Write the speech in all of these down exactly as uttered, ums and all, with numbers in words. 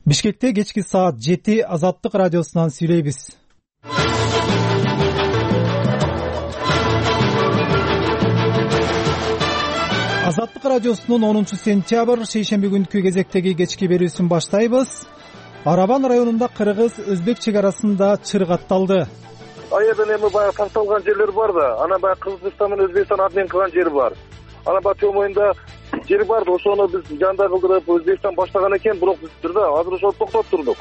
Бишкекте кечки саат жети Азаттык радиосунан сүйлөйбүз. Азаттык радиосунун онунчу сентябрь шейшемби күнкү кезектеги кечки берүүсүн баштайбыз. Арабан районунда кыргыз-өзбек чек арасында чыр катталды. Аерден эми баягы такталган жерлер бар да, анан баягы Кыргызстан менен Өзбекстан обмен кылган жери бар. Анан баягы төмөйүндө жери бар да, ошону биз жанда кылдырып Өзбекстан баштаган экен, бирок биз да азыр ошону токтотуп турдук.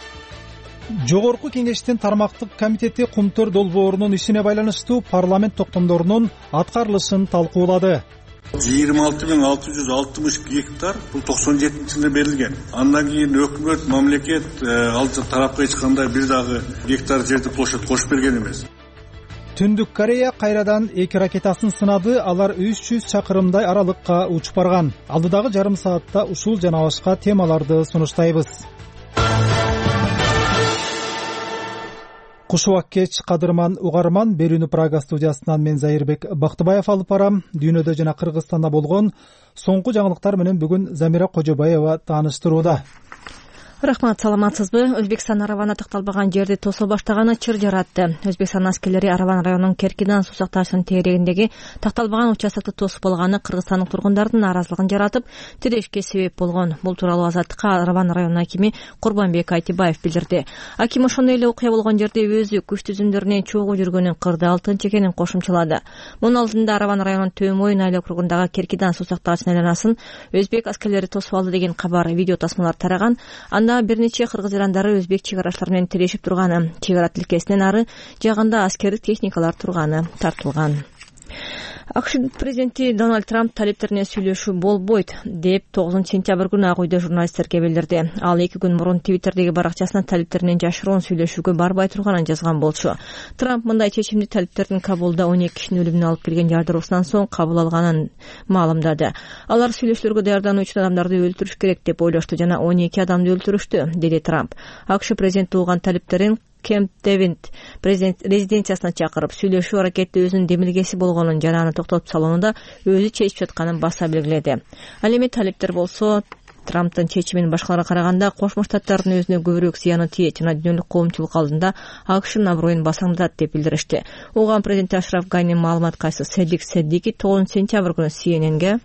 Жогорку кеңештин тармактык комитети Кумтөр долбоорунун ишине байланыштуу парламент токтомдорунун аткарылышын талкуулады. жыйырма алты миң алты жүз алтымыш гектар бул токсон жетинчи жылы берилген. Андан кийин өкмөт, мамлекет ал тарапка эч кандай бир дагы гектар жерди площадь кошуп берген эмес. Түндүк Корея кайрадан эки ракетасын сынады. Алар үч жүз чакырымдай аралыкка учуп барган. Алдыдагы жарым саатта ушул жана башка темаларды сунуштайбыз. Кушубак кеч, кадырман угарман. Берүүнү Прага студиясынан мен Зайырбек Бактыбаев алып барам. Дүйнөдө жана Кыргызстанда болгон соңку жаңылыктар менен бүгүн Замира Кожобаева тааныштырууда. Рахмат, саламатсызбы? Өзбекстан Аравана такталбаган жерди тосо баштаганы чыр жаратты. Өзбекстан аскерлери Араван районунун Керкидан суу сакташынын тегерегиндеги такталбаган участокты тосуп болганы кыргызстандык тургундардын нааразылыгын жаратып, тирешке себеп болгон. Бул тууралуу Азаттыкка Араван районунун акими Курбанбек Айтибаев билдирди. Аким ошондой эле окуя болгон жерде өзү күч түзүмдөрүнүн чогуу жүргөнүн кырды алтынчы экенин кошумчалады. Мунун алдында Араван районунун Төмөйүн айыл округундагы Керкидан суу сактагычынын айланасын өзбек аскерлери тосуп алды деген кабар, видео тасмалар тараган. Анда бир нече кыргыз ирандары өзбек чек арачылары менен тирешип турганы, чек ара тилкесинен ары жагында аскердик техникалар турганы тартылган. АКШ президенти Дональд Трамп талиптерине сүйлөшүү болбойт деп тогузунчу сентябрь күнү Ак үйдө журналисттерге билдирди. Ал эки күн мурун Твиттердеги баракчасына талиптеринен жашыруун сүйлөшүүгө барбай турганын жазган болчу. Трамп мындай чечимди талиптердин Кабулда он эки кишинин өлүмүнө алып келген жардыруусунан соң кабыл алганын маалымдады. Алар сүйлөшүүлөргө даярдануу үчүн адамдарды өлтүрүш керек деп ойлошту жана он эки адамды өлтүрүштү, деди Трамп. АКШ президенти уган талиптерин Кемп Девинт президент резиденциясына чакырып, сүйлөшүү аракети өзүнүн демилгеси болгонун жана аны токтотуп салууну да өзү чечип жатканын баса белгиледи. Ал эми талиптер болсо Трамптын чечимин башкаларга караганда Кошмо Штаттардын өзүнө көбүрөөк зыяны тиет жана дүйнөлүк коомчулук алдында АКШнын аброюн басаңдатат деп билдиришти. Уган президенти Ашраф Ганинин маалымат кайсы Седик Седдики тогузунчу сентябрь күнү Си Эн Энге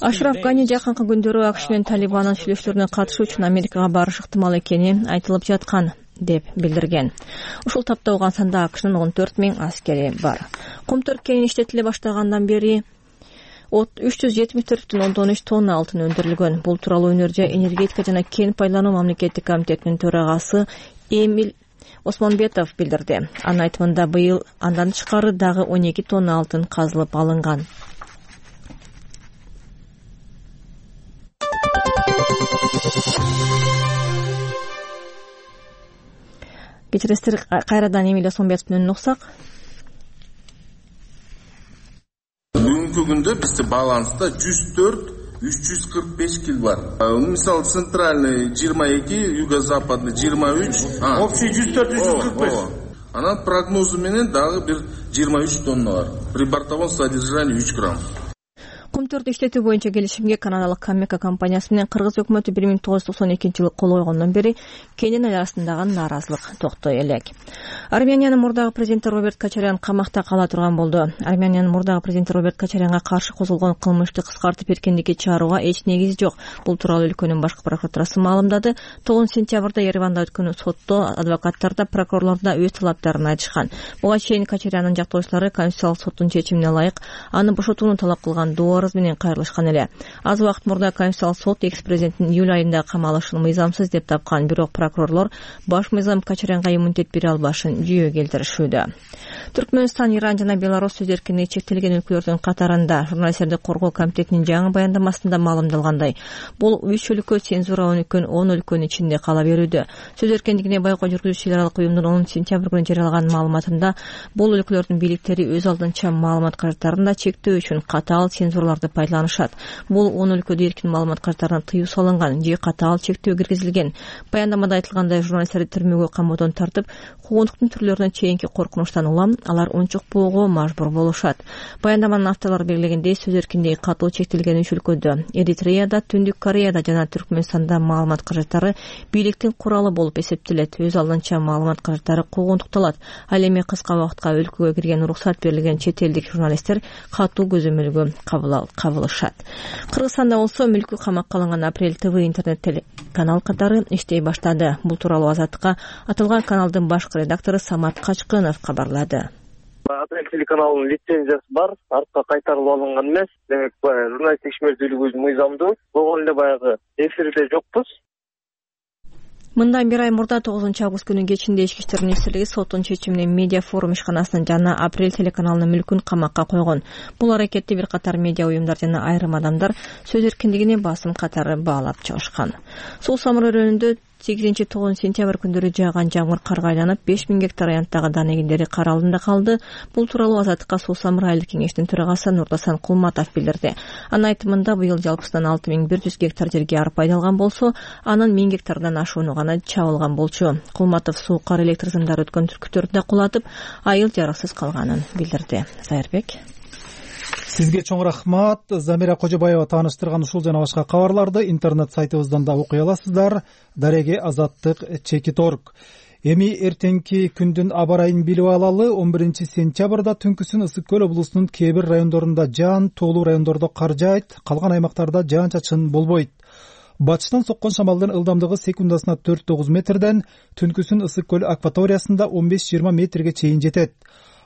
Ашраф Гани жакынкы күндөрү АКШ менен Талибандын сүйлөшүүлөрүнө катышуу үчүн Америкага барышы ыктымал экени айтылып жаткан деп билдирген. Ушул тапта Ауганстанда АКШнын он төрт миң аскери бар. Кумтөр кенин иштетиле баштагандан бери үч жүз жетимиш төрт бүтүн ондон үч тонна алтын өндүрүлгөн. Бул тууралуу Өнөржай энергетика жана кен пайдалануу мамлекеттик комитетинин төрагасы Эмиль Осмонбетов билдирди. Анын айтымында быйыл андан тышкары дагы он эки тонна алтын казылып алынган. Кечиресиздер, кайрадан Эмиль Осмонбетов менен уксак. Бүгүнкү күндө бизде баланста жүз төрт үч жүз кырк беш кил бар. Мисалы центральный жыйырма эки, юго-западный жыйырма үч, общий жүз төрт үч жүз кырк беш. Анан прогнозу менен дагы бир жыйырма үч тонна бар. При бортовом содержании үч грамм. Кумтөрдү иштетүү боюнча келишимге канадалык Камека компаниясы менен кыргыз өкмөтү бир миң тогуз жүз токсон экинчи жылы кол койгондон бери Кенин эл арасындагы нааразылык токтой элек. Армениянын мурдагы президенти Роберт Кочарян камакта кала турган болду. Армениянын мурдагы президенти Роберт Кочарянга каршы козголгон кылмышты кыскартып эркиндикке чыгарууга эч негиз жок. Бул тууралуу өлкөнүн башкы прокуратурасы маалымдады. тогузунчу сентябрда Ереванда өткөн сотто адвокаттар да прокурорлор да өз талаптарын айтышкан. Буга чейин Кочаряндын жактоочулары Конституциялык соттун чечимине ылайык аны бошотууну талап кылган доо менен кайрылышкан эле. Аз убакыт мурда Конституциялык сот экс-президенттин июль айында камалышын мыйзамсыз деп тапкан, бирок прокурорлор баш мыйзам Кочарянга иммунитет бере албашын жүйө келтиришүүдө. Түркмөнстан, Иран жана Беларусь сөз эркиндиги чектелген өлкөлөрдүн катарында. Журналисттерди коргоо комитетинин жаңы баяндамасында маалымдалгандай, бул үч өлкө цензура өнүккөн он өлкөнүн ичинде кала берүүдө. Сөз эркиндигине байкоо жүргүзүүчү эл аралык уюмдун онунчу сентябрь күнү жарыялаган маалыматында бул өлкөлөрдүн бийликтери өз алдынча маалымат каражаттарын да чектөө үчүн катаал цензура аларды пайдаланышат. Бул он өлкөдө эркин маалымат каражаттарына тыюу салынган же катаал чектөө киргизилген. Баяндамада айтылгандай, журналисттерди түрмөгө камоодон тартып, куугунтуктун түрлөрүнө чейинки коркунучтан улам алар унчукпоого мажбур болушат. Баяндаманын авторлору белгилегендей, сөз эркиндиги катуу чектелген үч өлкөдө — Эритреяда, Түндүк Кореяда жана Түркмөнстанда маалымат каражаттары бийликтин куралы болуп эсептелет. Өз алдынча маалымат каражаттары куугунтукталат. Ал эми кыска убакытка өлкөгө кирген уруксат берилген чет элдик журналисттер катуу көзөмөлгө кабылышат. Кыргызстанда болсо мүлкү камакка алынган Апрель ТВ интернет телеканал катары иштей баштады. Бул тууралуу Азаттыкка аталган каналдын башкы редактору Самат Качкынов кабарлады. Апрель телеканалынын лицензиясы бар, артка кайтарылып алынган эмес. Демек, журналисттик ишмердүүлүгүбүз мыйзамдуу. Болгон эле баягы эфирде жокпуз. Мындан бир ай мурда тогузунчу август күнү кечинде Ички иштер министрлиги соттун чечиминен Медиа форум ишканасынын жана Апрель телеканалынын мүлкүн камакка койгон. Бул аракетти бир катар медиа уюмдар жана айрым адамдар сөз эркиндигине басым катары баалап чыгышкан. Суу Самыр өрөөнүндө сегизинчи тогузунчу сентябрь күндөрү жааган жамгыр карга айланып беш миң гектар аянттагы дан эгиндери кар алдында калды. Бул тууралуу Азаттыкка Суу Самыр айылдык кеңештин төрагасы Нурдасан Кулматов билдирди. Анын айтымында быйыл жалпысынан алты миң бир жүз гектар жерге арпа айдалган болсо, анын миң гектардан ашууну гана чабылган болчу. Кулматов суу, кар, электр сымдары өткөн түркүттөрдү да кулатып, айыл жарыксыз калганын билдирди. Зайырбек. Сизге чоң рахмат. Замира Кожобаева тааныштырган ушул жана башка кабарларды интернет сайтыбыздан да окуй аласыздар. Дареге азаттык чекит точка орг. Эми эртеңки күндүн аба ырайын билип алалы. он биринчи сентябрда түнкүсүн Ысык көл облусунун кээ бир райондорунда жаан, тоолуу райондордо кар жаайт, калган аймактарда жаан-чачын болбойт. Батыштан соккон шамалдын ылдамдыгы секундасына төрт тогуз метрден түнкүсүн Ысык көл акваториясында он беш жыйырма метрге чейин жетет.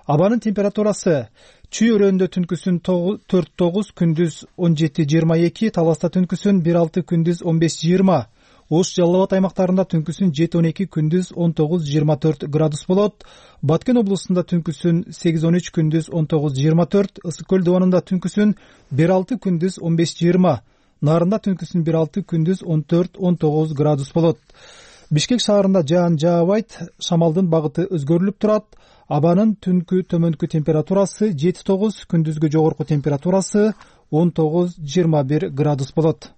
Абанын температурасы: Чүй өрөөнүндө түнкүсүн төрт тогуз, күндүз он жети жыйырма эки, Таласта түнкүсүн бир алты, күндүз он беш жыйырма, Ош Жалал Абад аймактарында түнкүсүн жети он эки, күндүз он тогуз жыйырма төрт градус болот. Баткен облусунда түнкүсүн сегиз он үч, күндүз он тогуз жыйырма төрт, Ысык көл дубанында түнкүсүн бир алты, күндүз он беш жыйырма, Нарында түнкүсүн бир алты, күндүз он төрт он тогуз градус болот. Бишкек шаарында жаан жаабайт, шамалдын багыты өзгөрүлүп турат. Абанын түнкү төмөнкү температурасы жети тогуз, күндүзгү жогорку температурасы он тогуз жыйырма бир градус болот.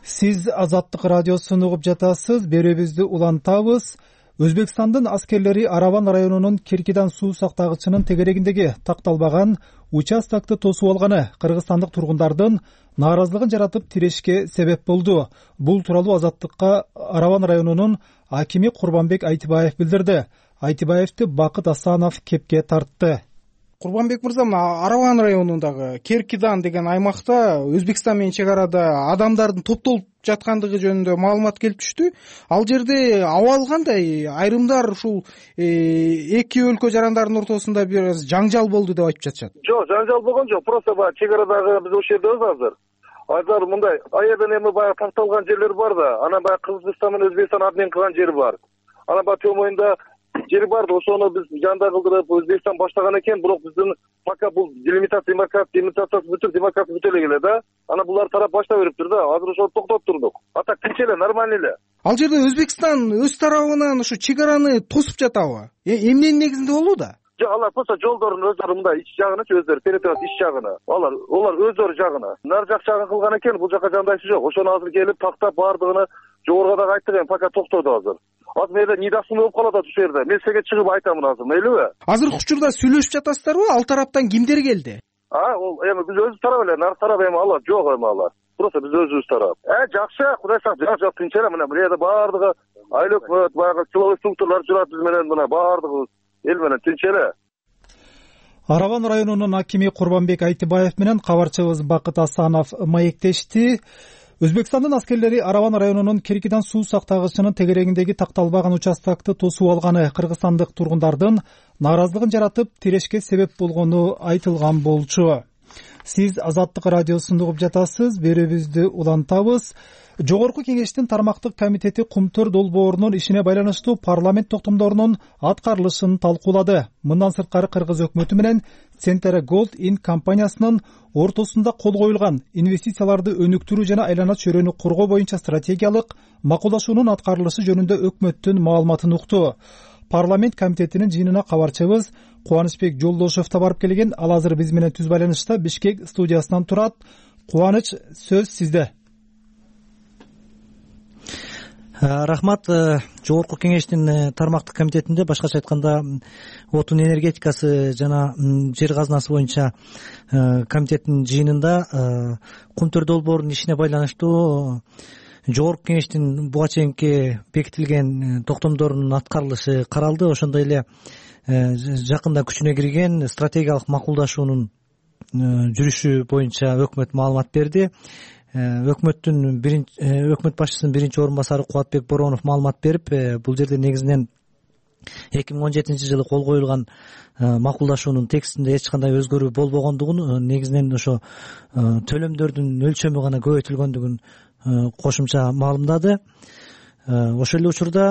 Сиз Азаттык радиосун угуп жатасыз. Берүүбүздү улантабыз. Өзбекстандын аскерлери Араван районунун Киркидан суу сактагычынын тегерегиндеги такталбаган участокты тосуп алганы кыргызстандык тургундардын нааразылыгын жаратып тирешке себеп болду. Бул тууралуу Азаттыкка Араван районунун акими Курбанбек Айтыбаев билдирди. Айтыбаевди Бакыт Асанов кепке тартты. Курбанбек мырза, Араван районундагы Керкидан деген аймакта Өзбекстан менен чек арада адамдардын топтолуп жаткандыгы жөнүндө маалымат келип түштү. Ал жерде абал кандай? Айрымдар ушул эки өлкө жарандарынын ортосунда бир жаңжал болду деп айтып жатышат. Жок, жаңжал болгон жок. Просто баягы чек арадагы биз ошол жердебиз азыр. Азыр мындай аерден эми баягы такталган жерлер бар да, анан баягы Кыргызстан менен Өзбекстан обмен кылган жери бар. Анан баягы төмөйүндө жери бар да, ошону биз жанда кылдырып Өзбекстан баштаган экен, бирок биздин пока бул делимитация, демаркация, демаркациясы бүтүп, демаркация бүтө эле келе да. Анан булар тарап баштап бериптир да. Азыр ошону токтотуп турдук. А так тинч эле, нормально эле. Ал жерде Өзбекстан өз тарабынан ушу чек араны тосуп жатабы? Эмненин негизинде болууда? Жок, алар просто жолдордун өздөрү мындай ич жагынычы өздөрү территориясы ич жагына. Алар олар өздөрү жагына. Нар жак жагын кылган экен, бул жака жандайчы жок. Ошону азыр келип тактап баардыгын жогоруга дагы айттык, эми пока токтоду азыр. Азыр мээде нидасың болуп калат ушул жерде. Мен сиңе чыгып айтамын азыр, мейлиби? Азыр учурда сүйлөшүп жатасыздарбы? Ал тараптан кимдер келди? А, ол эми биз өзүбүз тарап эле, нар тарап эми алар жок эми алар. Просто биз өзүбүз тарап. Э, жакшы, Кудай сактасын, жак жак тынч эле. Мына бул жерде баардыгы айыл өкмөт, баягы силовой структуралар жүрөт биз менен, мына баардыгы эл менен тынч эле. Араван районунун акими Курбанбек Айтыбаев менен кабарчыбыз Бакыт Асанов маектешти. Өзбекстандын аскерлери Араван районунун Киркидан суу сактагычынын тегерегиндеги такталбаган участокты тосуп алганы кыргызстандык тургундардын нааразылыгын жаратып тирешке себеп болгону айтылган болчу. сиз Азаттык радиосун угуп жатасыз. Берүүбүздү улантабыз. Жогорку Кеңештин тармактык комитети Кумтөр долбоорунун ишине байланыштуу парламент токтомдорунун аткарылышын талкуулады. Мындан сырткары Кыргыз өкмөтү менен Centera Gold Inc компаниясынын ортосунда кол коюлган инвестицияларды өнүктүрүү жана айлана чөйрөнү коргоо боюнча стратегиялык макулдашуунун аткарылышы жөнүндө өкмөттүн маалыматын укту. Парламент комитетинин жыйынына кабарчыбыз Кубанычбек Жолдошев да барып келген. Ал азыр биз менен түз байланышта Бишкек студиясынан турат. Кубаныч, сөз сизде. Рахмат. Жогорку Кеңештин тармактык комитетинде, башкача айтканда, отун энергетикасы жана жер казынасы боюнча комитеттин жыйынында Кумтөр долбоорунун ишине байланыштуу Жогорку Кеңештин буга чейинки бекитилген токтомдорунун аткарылышы каралды. Ошондой эле жакында күчүнө кирген стратегиялык макулдашуунун жүрүшү боюнча өкмөт маалымат берди. Өкмөттүн биринчи өкмөт башчысынын биринчи орун басары Кубатбек Боронов маалымат берип, бул жерде негизинен эки миң он жетинчи жылы кол коюлган макулдашуунун текстинде эч кандай өзгөрүү болбогондугун, негизинен ошо төлөмдөрдүн өлчөмү гана көбөйтүлгөндүгүн кошумча маалымдады. Ошол эле учурда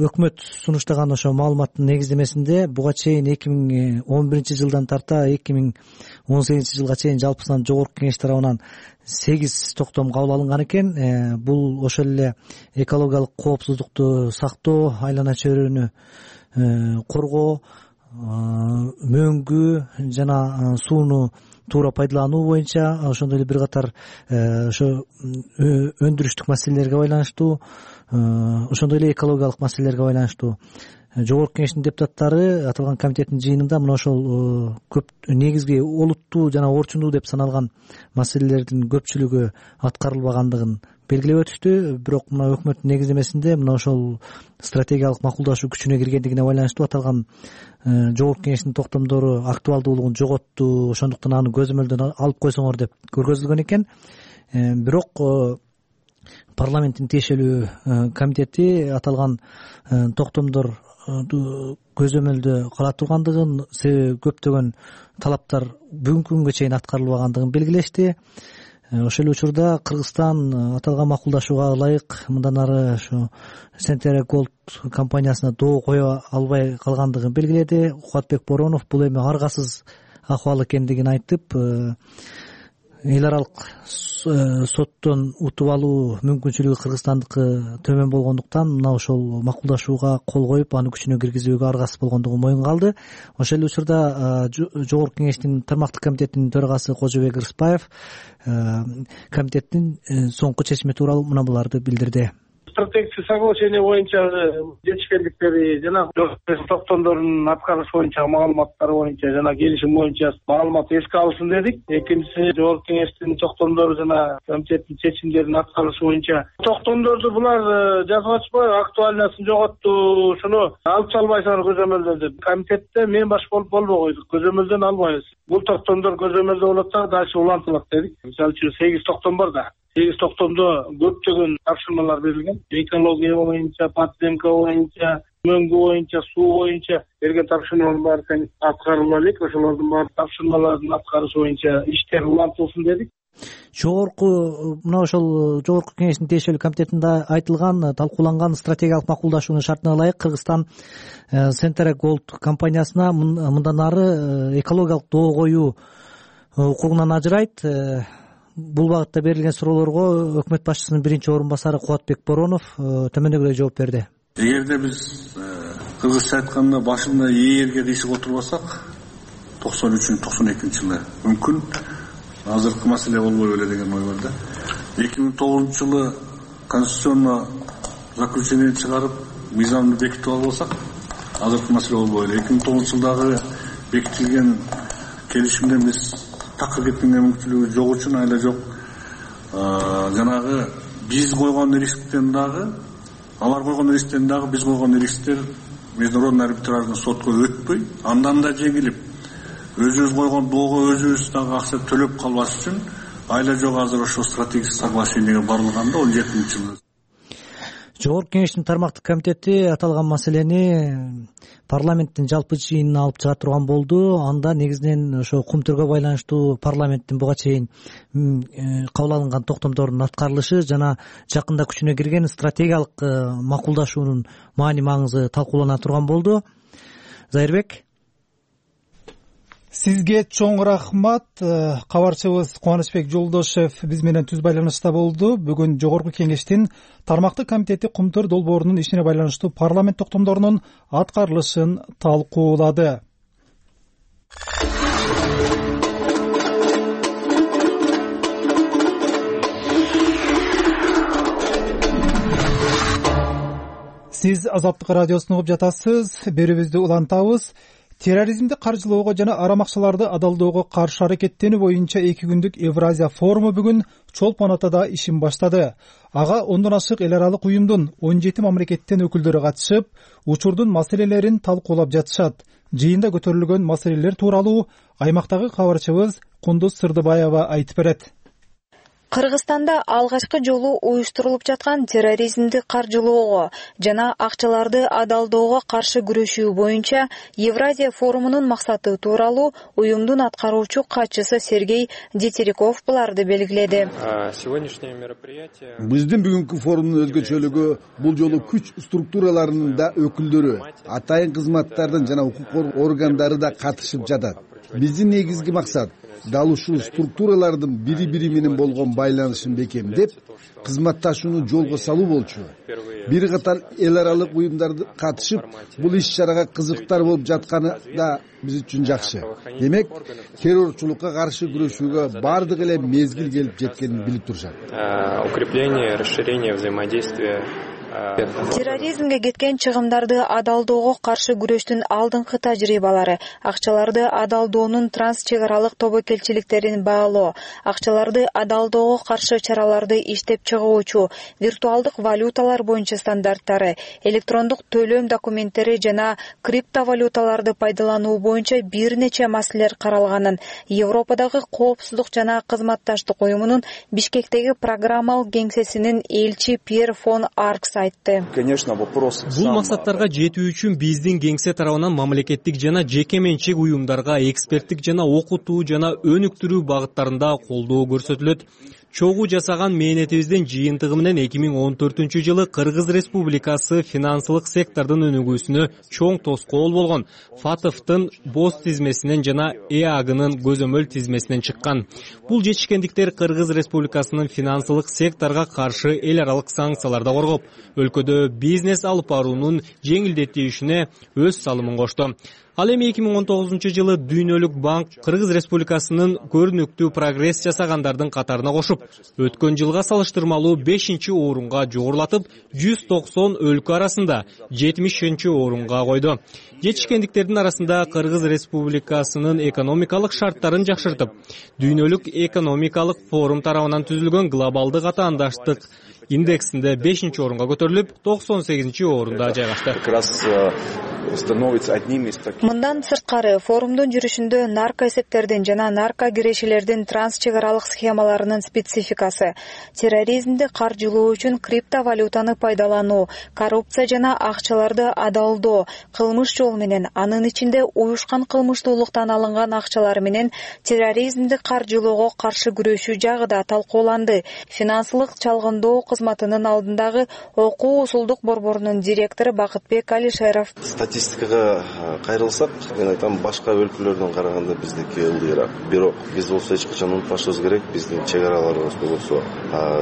өкмөт сунуштаган ошо маалыматтын негиздемесинде буга чейин эки миң он биринчи жылдан тарта эки миң он сегизинчи жылга чейин жалпысынан Жогорку Кеңеш тарабынан сегиз токтом кабыл алынган экен. Бул ошол эле экологиялык коопсуздукту сактоо, айлана чөйрөнү коргоо, мөңгү жана сууну туура пайдалануу боюнча, ошондой эле бир катар ошо өндүрүштүк маселелерге байланыштуу, ошондой эле экологиялык маселелерге байланыштуу Жогорку Кеңештин депутаттары аталган комитеттин жыйынында мына ошол көп негизги олуттуу жана орчундуу деп саналган маселелердин көпчүлүгү аткарылбагандыгын белгилеп өтүштү. Бирок мына өкмөттүн негиздемесинде мына ошол стратегиялык макулдашуу күчүнө киргендигине байланыштуу аталган Жогорку Кеңештин токтомдору актуалдуулугун жоготту, ошондуктан аны көзөмөлдөн алып койсоңор деп көргөзүлгөн экен. Бирок парламенттин тиешелүү комитети аталган токтомдор көзөмөлдө кала тургандыгын, себеби көптөгөн талаптар бүгүнкү күнгө чейин аткарылбагандыгын белгилешти. Ошол учурда Кыргызстан аталган макулдашууга ылайык мындан ары ошо Centera Gold компаниясына доо кое албай калгандыгын белгиледи. Кубатбек Боронов бул эми аргасыз акыбал экендигин айтып, эл аралык соттон утуп алуу мүмкүнчүлүгү Кыргызстандыкы төмөн болгондуктан мына ошол макулдашууга кол коюп, аны күчүнө киргизүүгө аргасыз болгондугун моюнга алды. Ошол эле учурда Жогорку Кеңештин тармактык комитетинин төрагасы Кожобек Рыспаев комитеттин соңку чечими тууралуу мына буларды билдирди. Стратегическое соглашение боюнча жетишкендиктери жана токтомдорунун аткарышы боюнча маалыматтары боюнча жана келишим боюнча маалымат эске алынсын дедик. Экинчиси, Жогорку Кеңештин токтомдору жана комитеттин чечимдеринин аткарышы боюнча токтомдорду булар жазып ачпай, актуальныясын жоготту, ушуну алып салбайсыңар көзөмөлдөн. Комитетте мен баш болуп болбой койдук, көзөмөлдөн албайбыз. Бул токтомдор көзөмөлдө болот да, дальше улантылат дедик. Мисалы үчүн сегиз токтом бар да. сегиз токтомдо көптөгөн тапшырмалар берилген. Экология боюнча, подземка боюнча, мөңгү боюнча, суу боюнча берген тапшырмалар бар экен, аткарыла элек. Ошолордун баары тапшырмалардын аткарышы боюнча иштер улантылсын дедик. Жогорку мына ошол Жогорку Кеңештин тиешелүү комитетинде айтылган, талкууланган стратегиялык макулдашуунун шартына ылайык Кыргызстан Centera Gold компаниясына мындан ары экологиялык доо коюу укугунан ажырайт. Бул багытта берилген суроолорго өкмөт башчысынын биринчи орун басары Кубатбек Боронов төмөндөгүдөй жооп берди. Эгерде биз кыргызча айтканда башында ээрге кыйшык отурбасак, токсон үчүнчү токсон экинчи жылы мүмкүн азыркы маселе болбой беле деген ой бар да. эки миң тогузунчу жылы конституционный заключение чыгарып, мыйзамды бекитип албасак, азыркы маселе болбой эле. эки миң тогузунчу жылдагы бекитилген келишимден биз такыр кеткенге мүмкүнчүлүгү жок үчүн айла жок. Жанагы биз койгон рисктен дагы, алар койгон рисктен дагы биз койгон рисктер международный арбитражный сотко өтпөй, андан да жеңилип, өзүбүз койгон доого өзүбүз дагы акча төлөп калбаш үчүн айла жок азыр ошо стратегический соглашениеге барылганда он жетинчи жылы. Жогорку Кеңештин тармактык комитети аталган маселени парламенттин жалпы жыйынына алып чыга турган болду. Анда негизинен ошо кумтөргө байланыштуу парламенттин буга чейин кабыл алынган токтомдордун аткарылышы жана жакында күчүнө кирген стратегиялык макулдашуунун маани маңызы талкуулана турган болду. Зайырбек, сизге чоң рахмат. Кабарчыбыз Кубанычбек Жолдошев биз менен түз байланышта болду. Бүгүн Жогорку Кеңештин тармактык комитети Кумтөр долбоорунун ишине байланыштуу парламент токтомдорунун аткарылышын талкуулады. Сиз Азаттык радиосун угуп жатасыз. Берүүбүздү улантабыз. Терроризмди каржылоого жана арам акчаларды адалдоого каршы аракеттенүү боюнча эки күндүк Евразия форуму бүгүн Чолпон Атада ишин баштады. Ага ондон ашык эл аралык уюмдун он жети мамлекеттен өкүлдөрү катышып, учурдун маселелерин талкуулап жатышат. Жыйында көтөрүлгөн маселелер тууралуу аймактагы кабарчыбыз Кундуз Сырдыбаева айтып берет. Кыргызстанда алгачкы жолу уюштурулуп жаткан терроризмди каржылоого жана акчаларды адалдоого каршы күрөшүү боюнча Евразия форумунун максаты тууралуу уюмдун аткаруучу катчысы Сергей Детериков буларды белгиледи. Биздин бүгүнкү форумдун өзгөчөлүгү бул жолу күч структураларынын да өкүлдөрү, атайын кызматтардын жана укук органдары да катышып жатат. Биздин негизги максат дал ушул структуралардын бири бири менен болгон байланышын бекемдеп, кызматташууну жолго салуу болчу. Бир катар эл аралык уюмдар катышып, бул иш-чарага кызыктар болуп жатканы да биз үчүн жакшы. Демек, террорчулукка каршы күрөшүүгө бардык эле мезгил келип жеткенин билип турушат. Укрепление, расширение взаимодействия. Терроризмге кеткен чыгымдарды адалдоого каршы күрөштүн алдыңкы тажрыйбалары, акчаларды адалдоонун трансчек аралык тобокелчиликтерин баалоо, акчаларды адалдоого каршы чараларды иштеп чыгуучу, виртуалдык валюталар боюнча стандарттары, электрондук төлөм документтери жана криптовалюталарды пайдалануу боюнча бир нече маселелер каралганын Европадагы коопсуздук жана кызматташтык уюмунун Бишкектеги программалык кеңсесинин элчи Пьер фон Аркс Бул максаттарга жетүү үчүн биздин кеңсе тарабынан мамлекеттик жана жеке менчик уюмдарга эксперттик жана окутуу жана өнүктүрүү багыттарында колдоо көрсөтүлөт. Чогуу жасаган мээнетибиздин жыйынтыгы менен эки миң он төртүнчү жылы Кыргыз Республикасы финансылык сектордун өнүгүүсүнө чоң тоскоол болгон. ФАТФтын боз тизмесинен жана ЭАГынын көзөмөл тизмесинен чыккан. Бул жетишкендиктер Кыргыз Республикасынын финансылык секторго каршы эл аралык санкцияларды коргоп, өлкөдө бизнес алып баруунун жеңилдетүүсүнө өз салымын кошту. Ал эми эки миң он тогузунчу жылы Дүйнөлүк банк Кыргыз Республикасынын көрүнүктүү прогресс жасагандардын катарына кошуп, өткөн жылга салыштырмалуу бешинчи орунга жогорулатып, жүз токсон өлкө арасында жетимишинчи орунга койду. Жетишкендиктердин арасында Кыргыз Республикасынын экономикалык шарттарын жакшыртып, Дүйнөлүк экономикалык форум тарабынан түзүлгөн глобалдык атаандаштык индексинде бешинчи орунга көтөрүлүп, токсон сегизинчи орунда жайгашты. Мындан сырткары форумдун жүрүшүндө наркоэсептердин жана нарко кирешелердин трансчек аралык схемаларынын спецификасы, терроризмди каржылоо үчүн криптовалютаны пайдалануу, коррупция жана акчаларды адалдоо, кылмыш жол менен, анын ичинде уюшкан кылмыштуулуктан алынган акчалар менен терроризмди каржылоого каршы күрөшүү жагы да талкууланды. Финансылык чалгындоо кызматынын алдындагы окуу усулдук борборунун директору Бакытбек Алишеров: Статистикага кайрылсак, мен айтам, башка өлкөлөрдөн караганда биздики ылдыйраак. Бирок биз болсо эч качан унутпашыбыз керек, биздин чек араларыбызда болсо,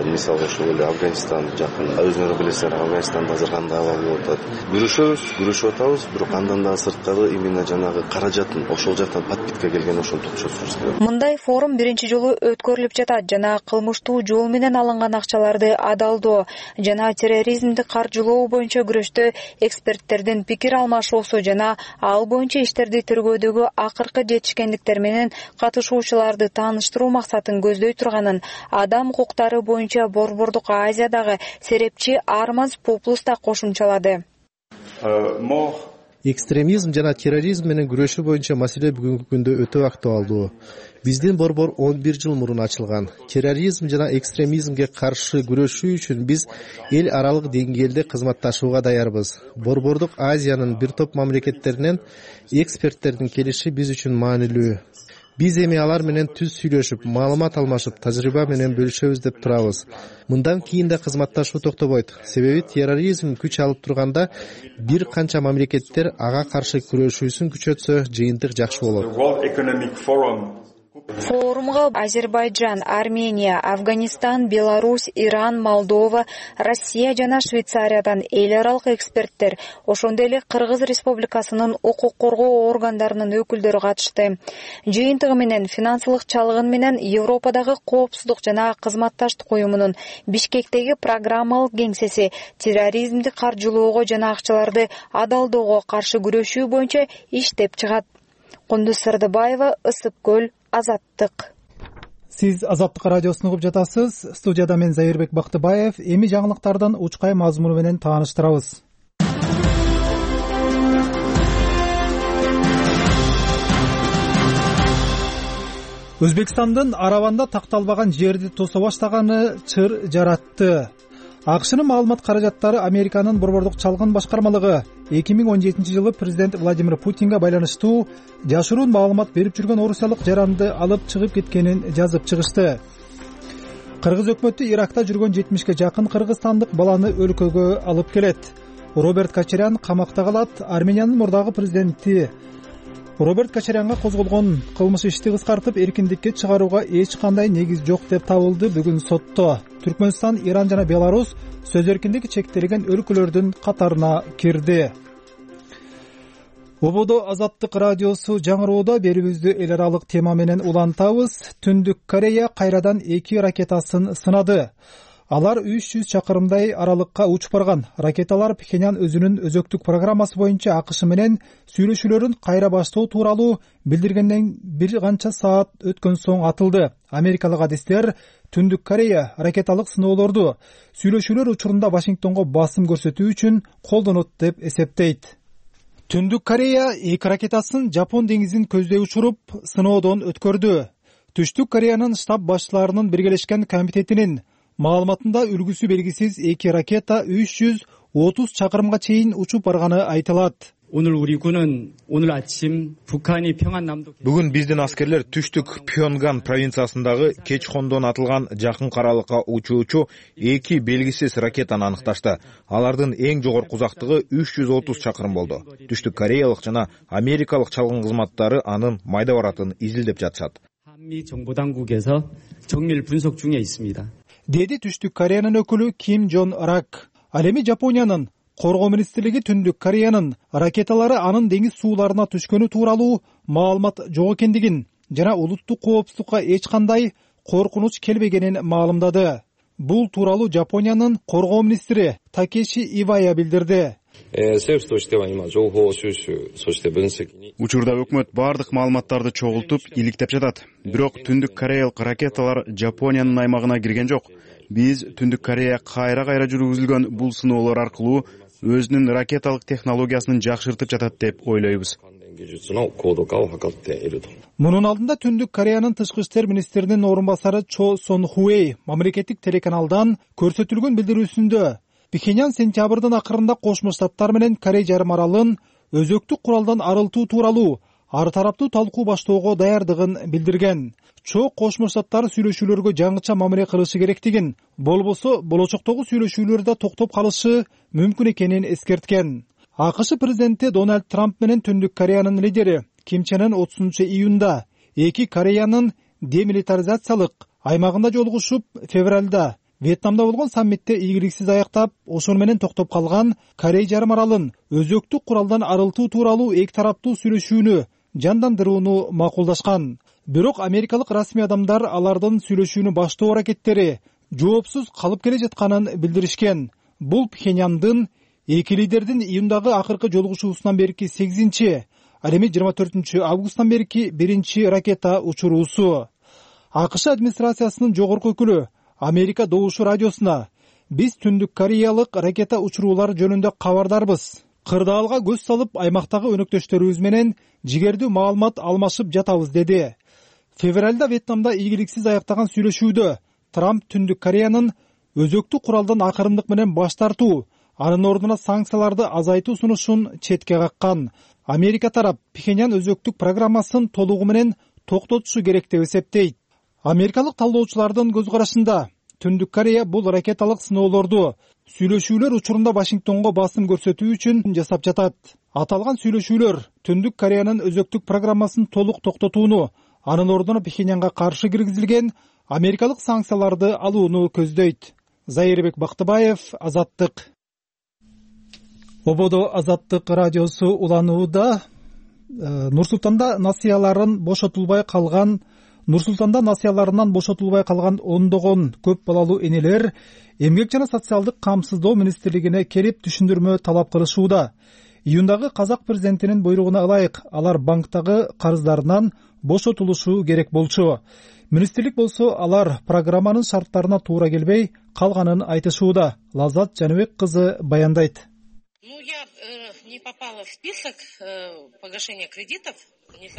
мисалы ошол эле Афганистан жакын, өзүңөр билесиңер, Афганистанда азыр кандай абал болуп атат. Күрөшөбүз, күрөшүп атабыз, бирок андан да сырткары именно жанагы каражатын ошол жактан подпитка келген ошону токчотушубуз керек. Мындай форум биринчи жолу өткөрүлүп жатат жана кылмыштуу жол менен алынган акчаларды адалдоо жана терроризмди каржылоо боюнча күрөштө эксперттердин пикир алмашуусу жана ал боюнча иштерди тергөөдөгү акыркы жетишкендиктер менен катышуучуларды тааныштыруу максатын көздөй турганын Адам укуктары боюнча Борбордук Азиядагы серепчи Армаз Пуплус да кошумчалады. экстремизм жана терроризм менен күрөшүү боюнча маселе бүгүнкү күндө өтө актуалдуу. Биздин борбор он бир жыл мурун ачылган. Терроризм жана экстремизмге каршы күрөшүү үчүн биз эл аралык деңгээлде кызматташууга даярбыз. Борбордук Азиянын бир топ мамлекеттеринен эксперттердин келиши биз үчүн маанилүү. Биз эми алар менен түз сүйлөшүп, маалымат алмашып, тажрыйба менен бөлүшөбүз деп турабыз. Мындан кийин да кызматташуу токтобойт. Себеби терроризм күч алып турганда бир канча мамлекеттер ага каршы күрөшүүсүн күчөтсө, жыйынтык жакшы болот. Форумга Азербайджан, Армения, Афганистан, Беларусь, Иран, Молдова, Россия жана Швейцариядан эл аралык эксперттер, ошондой эле Кыргыз Республикасынын укук коргоо органдарынын өкүлдөрү катышты. Жыйынтыгы менен финансылык чалгын менен Европадагы коопсуздук жана кызматташтык уюмунун Бишкектеги программалык кеңсеси терроризмди каржылоого жана акчаларды адалдоого каршы күрөшүү боюнча иштеп чыгат. Кундуз Сырдыбаева, Ысык көл, Азаттык. Сиз Азаттык радиосун угуп жатасыз. Студияда мен Зайырбек Бактыбаев. Эми жаңылыктардан учкай мазмуну менен тааныштырабыз. Өзбекстандын Араванда такталбаган жерди тосо баштаганы чыр жаратты. АКШнын маалымат каражаттары Американын борбордук чалгын башкармалыгы эки миң он жетинчи жылы президент Владимир Путинге байланыштуу жашыруун маалымат берип жүргөн орусиялык жаранды алып чыгып кеткенин жазып чыгышты. Кыргыз өкмөтү Иракта жүргөн жетимишке жакын кыргызстандык баланы өлкөгө алып келет. Роберт Кочарян камакта калат. Армениянын мурдагы президенти Роберт Кочарянга козголгон кылмыш ишти кыскартып эркиндикке чыгарууга эч кандай негиз жок деп табылды бүгүн сотто. Түркмөнстан, Иран жана Беларусь сөз эркиндиги чектелген өлкөлөрдүн катарына кирди. Ободо Азаттык радиосу жаңыроодо берүүбүздү эл аралык тема менен улантабыз. Түндүк Корея кайрадан эки ракетасын сынады. Алар үч жүз чакырымдай аралыкка учуп барган. Ракеталар Пхеньян өзүнүн өзөктүк программасы боюнча АКШ менен сүйлөшүүлөрүн кайра баштоо тууралуу билдиргенден бир канча саат өткөн соң атылды. Америкалык адистер Түндүк Корея ракеталык сыноолорду сүйлөшүүлөр учурунда Вашингтонго басым көрсөтүү үчүн колдонот деп эсептейт. Түндүк Корея эки ракетасын Жапон деңизин көздөй учуруп, сыноодон өткөрдү. Түштүк Кореянын штаб башчыларынын биргелешкен комитетинин маалыматында үлгүсү белгисиз эки ракета үч жүз отуз чакырымга чейин учуп барганы айтылат. Бүгүн биздин аскерлер түштүк Пхёнган провинциясындагы Кечхондон атылган жакын каралыкка учуучу эки белгисиз ракетаны аныкташты. Алардын эң жогорку узактыгы үч жүз отуз чакырым болду. Түштүк кореялык жана америкалык чалгын кызматтары анын майда баратын изилдеп жатышат. Деди Түштүк Кореянын өкүлү Ким Жон Рак. Ал эми Жапониянын коргоо министрлиги Түндүк Кореянын ракеталары анын деңиз сууларына түшкөнү тууралуу маалымат жок экендигин жана улуттук коопсуздукка эч кандай коркунуч келбегенин маалымдады. Бул тууралуу Жапониянын коргоо министри Такеши Ивая билдирди. Учурда өкмөт бардык маалыматтарды чогултуп, иликтеп жатат. Бирок Түндүк Кореялык ракеталар Жапониянын аймагына кирген жок. Биз Түндүк Корея кайра-кайра жүргүзүлгөн бул сыноолор аркылуу өзүнүн ракеталык технологиясын жакшыртып жатат деп ойлойбуз. Мунун алдында Түндүк Кореянын тышкы иштер министринин орун басары Чо Сон Хуэй мамлекеттик телеканалдан көрсөтүлгөн билдирүүсүндө Пхеньян сентябрдын акырында Кошмо Штаттар менен Корей жарым аралын өзөктүк куралдан арылтуу тууралуу ар тараптуу талкуу баштоого даярдыгын билдирген. Чо Кошмо Штаттар сүйлөшүүлөргө жаңыча мамиле кылышы керектигин, болбосо болочоктогу сүйлөшүүлөрдө токтоп калышы мүмкүн экенин эскерткен. АКШ президенти Дональд Трамп менен Түндүк Кореянын лидери Ким Чен Ын отузунчу июнда эки Кореянын демилитаризациялык аймагында жолугушуп, февралда Вьетнамда болгон саммитте ийгиликсиз аяктап, ошол менен токтоп калган Корей жарым аралын өзөктүк куралдан арылтуу тууралуу эки тараптуу сүйлөшүүнү жандандырууну макулдашкан. Бирок америкалык расмий адамдар алардын сүйлөшүүнү баштоо аракеттери жоопсуз калып келе жатканын билдиришкен. Бул Пхеньяндын эки лидердин июндагы акыркы жолугушуусунан берки сегизинчи, ал эми жыйырма төртүнчү августтан берки биринчи ракета учуруусу. АКШ администрациясынын жогорку өкүлү Америка Добушу радиосуна: "Биз Түндүк Кореялык ракета учуруулары жөнүндө кабардарбыз. кырдаалга көз салып аймактагы өнөктөштөрүбүз менен жигердүү маалымат алмашып жатабыз деди. Февралда Вьетнамда ийгиликсиз аяктаган сүйлөшүүдө Трамп Түндүк Кореянын өзөктү куралдан акырындык менен баш тартуу, анын ордуна санкцияларды азайтуу сунушун четке каккан. Америка тарап Пхеньян өзөктүк программасын толугу менен токтотушу керек деп эсептейт. Америкалык талдоочулардын көз карашында Түндүк Корея бул ракеталык сыноолорду сүйлөшүүлөр учурунда Вашингтонго басым көрсөтүү үчүн жасап жатат. Аталган сүйлөшүүлөр Түндүк Кореянын өзөктүк программасын толук токтотууну, анын ордуна Пхеньянга каршы киргизилген америкалык санкцияларды алууну көздөйт. Зайырбек Бактыбаев, Азаттык. Ободо Азаттык радиосу уланууда. Нур-Султанда насыяларын бошотулбай калган Нур-Султанда насыяларынан бошотулбай калган ондогон көп балалуу энелер Эмгек жана социалдык камсыздоо министрлигине келип түшүндүрмө талап кылышууда. Июндагы казак президентинин буйругуна ылайык алар банктагы карыздарынан бошотулушу керек болчу. Министрлик болсо алар программанын шарттарына туура келбей калганын айтышууда. Лазат Жаныбек кызы баяндайт. Ну, я не попала в список погашения кредитов.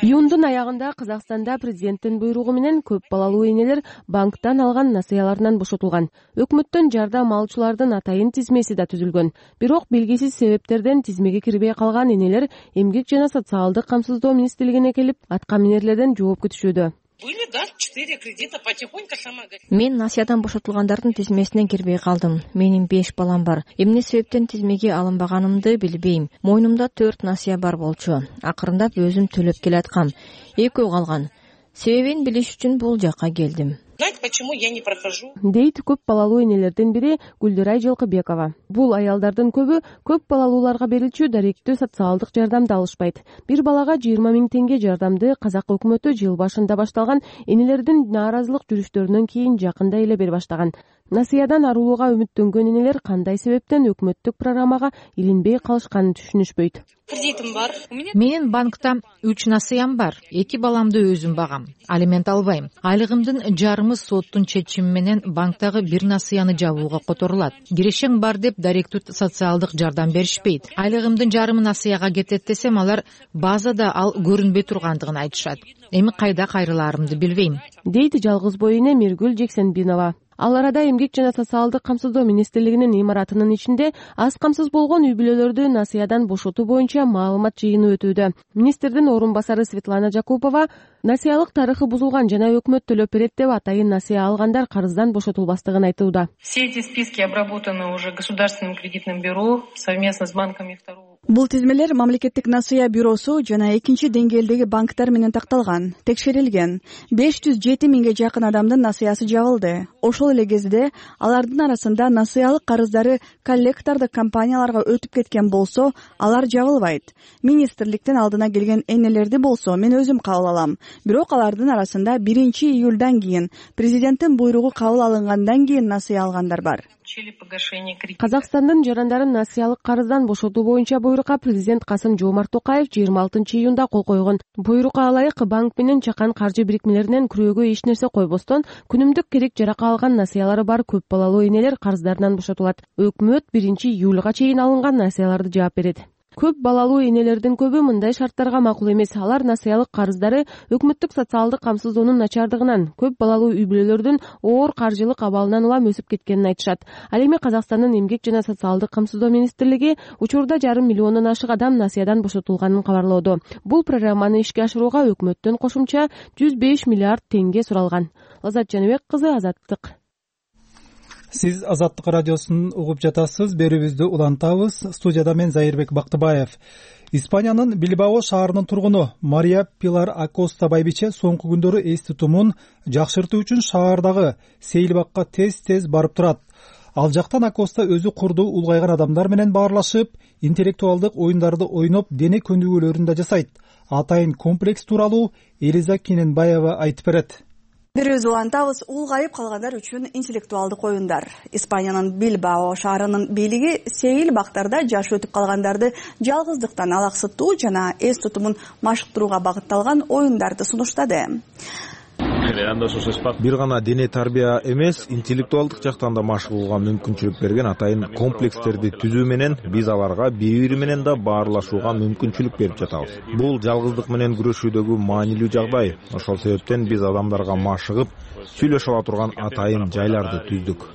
Июндун аягында Казакстанда президенттин буйругу менен көп балалуу энелер банктан алган насыяларынан бошотулган. Өкмөттөн жардам алуучулардын атайын тизмеси да түзүлгөн. Бирок белгисиз себептерден тизмеге кирбей калган энелер Эмгек жана социалдык камсыздоо министрлигине келип, атка минерлерден жооп күтүшүүдө. Были, да, четыре кредита, потихоньку сама. Мен насыядан бошотулгандардын тизмесине кирбей калдым. Менин беш балам бар. Эмне себептен тизмеге алынбаганымды билбейм. Мойнумда төрт насыя бар болчу. Акырындап өзүм төлөп келаткам. Экөө калган. Себебин билиш үчүн бул жакка келдим. Знаете, почему я не прохожу? Дейт көп балалуу энелердин бири Гүлдүрай Жылкыбекова. Бул аялдардын көбү көп балалууларга берилчү даректүү социалдык жардамды алышпайт. Бир балага жыйырма миң теңге жардамды казак өкмөтү жыл башында башталган энелердин нааразылык жүрүштөрүнөн кийин жакында эле бере баштаган. Насыядан арылууга үмүттөнгөн энелер кандай себептен өкмөттүк программага илинбей калышканын түшүнүшпөйт. Кредитим бар. Менин банкта үч насыям бар. Эки баламды өзүм багам. Алимент албайм. Айлыгымдын жарымы соттун чечими менен банктагы бир насыяны жабууга которулат. Кирешең бар деп даректүү социалдык жардам беришпейт. Айлыгымдын жарымы насыяга кетет десем, алар базада ал көрүнбөй тургандыгын айтышат. Эми кайда кайрылаарымды билбейм. Дейт жалгыз бой эне Миргүл Жексенбинова. Ал арада Эмгек жана социалдык камсыздоо министрлигинин имаратынын ичинде аз камсыз болгон үй бүлөлөрдү насыядан бошотуу боюнча маалымат жыйыны өтүүдө. Министрдин орун басары Светлана Жакупова насыялык тарыхы бузулган жана өкмөт төлөп берет деп атайын насыя алгандар карыздан бошотулбастыгын айтууда. Все эти списки обработаны уже Государственным кредитным бюро совместно с банками второго. Бул тизмелер мамлекеттик насыя бюросу жана экинчи деңгээлдеги банктар менен такталган, текшерилген. беш жүз жети миңге жакын адамдын насыясы жабылды. Ошол эле кезде алардын арасында насыялык карыздары коллектордук компанияларга өтүп кеткен болсо, алар жабылбайт. Министрликтин алдына келген энелерди болсо мен өзүм кабыл алам. Бирок алардын арасында биринчи июлдан кийин президенттин буйругу кабыл алынгандан кийин насыя алгандар бар. Казакстандын жарандарын насыялык карыздан бошотуу боюнча буйрукка президент Касым Жомарт Токаев жыйырма алтынчы июнда кол койгон. Буйрукка ылайык банк менен чакан каржы бирикмелеринен күрөөгө эч нерсе койбостон күнүмдүк керек жарака алган насыялары бар көп балалуу энелер карыздарынан бошотулат. Өкмөт биринчи июлга чейин алынган насыяларды жаап берет. Көп балалуу энелердин көбү мындай шарттарга макул эмес. Алар насыялык карыздары өкмөттүк социалдык камсыздоонун начардыгынан, көп балалуу үй бүлөлөрдүн оор каржылык абалынан улам өсүп кеткенин айтышат. Ал эми Казакстандын Эмгек жана социалдык камсыздоо министрлиги учурда жарым миллиондон ашык адам насыядан бошотулганын кабарлоодо. Бул программаны ишке ашырууга өкмөттөн кошумча жүз беш миллиард теңге суралган. Лазат Жаныбек кызы, Азаттык. Сиз Азаттык радиосун угуп жатасыз. Берүүбүздү улантабыз. Студияда мен Зайырбек Бактыбаев. Испаниянын Билбао шаарынын тургуну Мария Пилар Акоста байбиче соңку күндөрү эс тутумун жакшыртуу үчүн шаардагы сейилбакка тез-тез барып турат. Ал жактан Акоста өзү курдуу улгайган адамдар менен баарлашып, интеллектуалдык оюндарды ойноп, дене көнүгүүлөрүн да жасайт. Атайын комплекс тууралуу Элиза Кененбаева айтып берет. Бирөөбүз улантабыз. Улгайып калгандар үчүн интеллектуалдык оюндар. Испаниянын Билбао шаарынын бийлиги сейил бактарда жаш өтүп калгандарды жалгыздыктан алаксытуу жана эс тутумун машыктырууга багытталган оюндарды сунуштады. бир гана дене тарбия эмес, интеллектуалдык жактан да машык кылууга мүмкүнчүлүк берген атайын комплекстерди түзүү менен биз аларга бири бири менен да баарлашууга мүмкүнчүлүк берип жатабыз. Бул жалгыздык менен күрөшүүдөгү маанилүү жагдай. Ошол себептен биз адамдарга машыгып сүйлөшө ала турган атайын жайларды түздүк.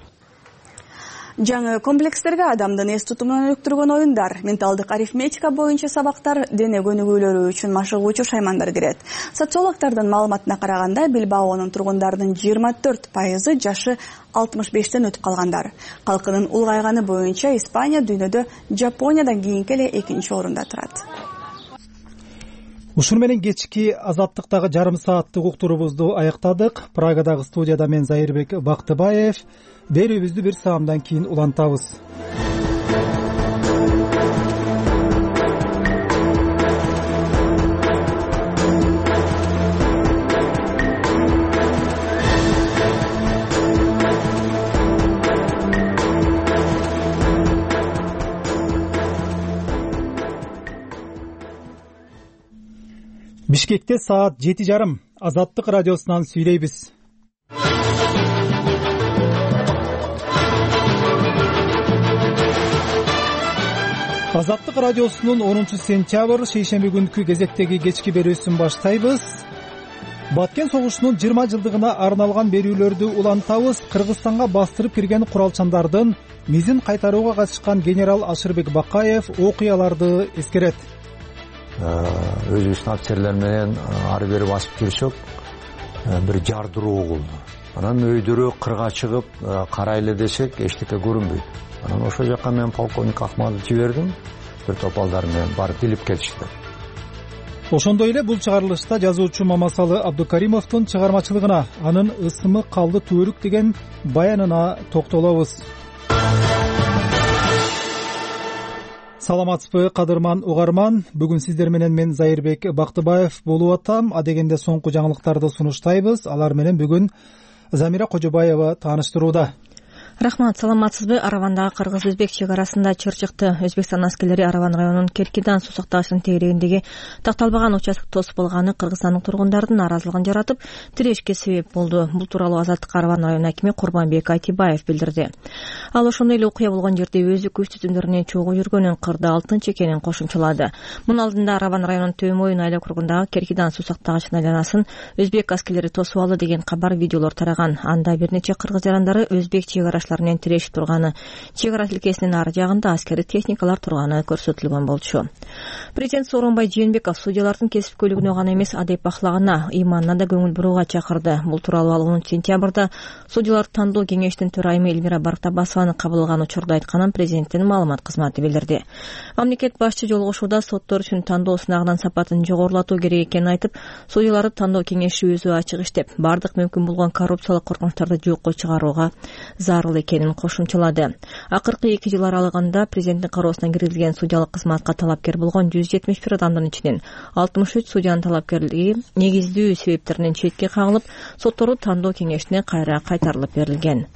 Жаңы комплекстерге адамдын эс тутумун өнүктүргөн оюндар, менталдык арифметика боюнча сабактар, дене көнүгүүлөрү үчүн машыгуучу шаймандар кирет. Социологдордун маалыматына караганда, Билбаонун тургундарынын жыйырма төрт пайызы жашы алтымыш бештен өтүп калгандар. Калкынын улгайганы боюнча Испания дүйнөдө Жапониядан кийинки эле экинчи орунда турат. Ушуну менен кечки азаттыктагы жарым сааттык уктуруубузду аяктадык. Прагадагы студияда мен Зайырбек Бактыбаев. Берүүбүздү бир саамдан кийин улантабыз. Бишкекте саат жети жарым. Азаттык радиосунан сүйлөйбүз. Азаттык радиосунун онунчу сентябрь шейшемби күнкү кезектеги кечки берүүсүн баштайбыз. Баткен согушунун жыйырма жылдыгына арналган берүүлөрдү улантабыз. Кыргызстанга бастырып кирген куралчандардын мизин кайтарууга катышкан генерал Ашырбек Бакаев окуяларды эскерет. Өзүбүздүн офицерлер менен ары бери басып жүрсөк, бир жардыруу болду. Анан өйдөрү кырга чыгып карайлы десек, эчтеке көрүнбөйт. Анан ошол жака мен полковник Ахмадовду жибердим. Бир топалдар менен барып билип келишти. Ошондой эле бул чыгарылышта жазуучу Мамасалы Абдукаримовдун чыгармачылыгына, анын ысымы калды түбөлүк деген баянына токтолобуз. Саламатсызбы, кадырман угарман. Бүгүн сиздер менен мен Зайырбек Бактыбаев болуп атам. Адегенде соңку жаңылыктарды сунуштайбыз. Алар менен бүгүн Замира Кожобаева тааныштырууда. Рахмат, саламатсызбы. Аравандагы кыргыз-өзбек чек арасында чыр чыкты. Өзбекстан аскерлери Араван районунун Керкидан суу сактагычынын тегерегиндеги такталбаган участок тосуп болганы кыргызстандык тургундардын нааразылыгын жаратып, тирешке себеп болду. Бул тууралуу Азаттык Араван район акими Курбанбек Айтибаев билдирди. Ал ошондой эле окуя болгон жерде өзү көз түзүмдөрүнөн чогуу жүргөнүн, кырда алтынчы экенин кошумчалады. Мунун алдында Араван районунун Төмөйүн айыл округундагы Керкидан суу сактагычынын айланасын өзбек аскерлери тосуп алды деген кабар видеолор тараган. Анда бир нече кыргыз жарандары өзбек чек менен тирешип турганы, чек ара тилкесинин ары жагында аскери техникалар турганы көрсөтүлгөн болчу. Президент Сооронбай Жээнбеков судьялардын кесипкөйлүгүнө гана эмес, адеп ахлагына, ыйманына да көңүл бурууга чакырды. Бул тууралуу ал онунчу сентябрда судьяларды тандоо кеңештин төрайымы Эльмира Бартабасованы кабыл алган учурда айтканын президенттин маалымат кызматы билдирди. Мамлекет башчы жолугушууда соттор үчүн тандоо сынагынын сапатын жогорулатуу керек экенин айтып, судьяларды тандоо кеңеши өзү ачык иштеп, бардык мүмкүн болгон коррупциялык коркунучтарды жокко чыгарууга зарыл экенин кошумчалады. Акыркы эки жыл аралыгында президенттин кароосуна киргизилген судьялык кызматка талапкер болгон жүз жетимиш бир адамдын ичинен алтымыш үч судьянын талапкерлиги негиздүү себептеринен четке кагылып, соттору тандоо кеңешине кайра кайтарылып берилген.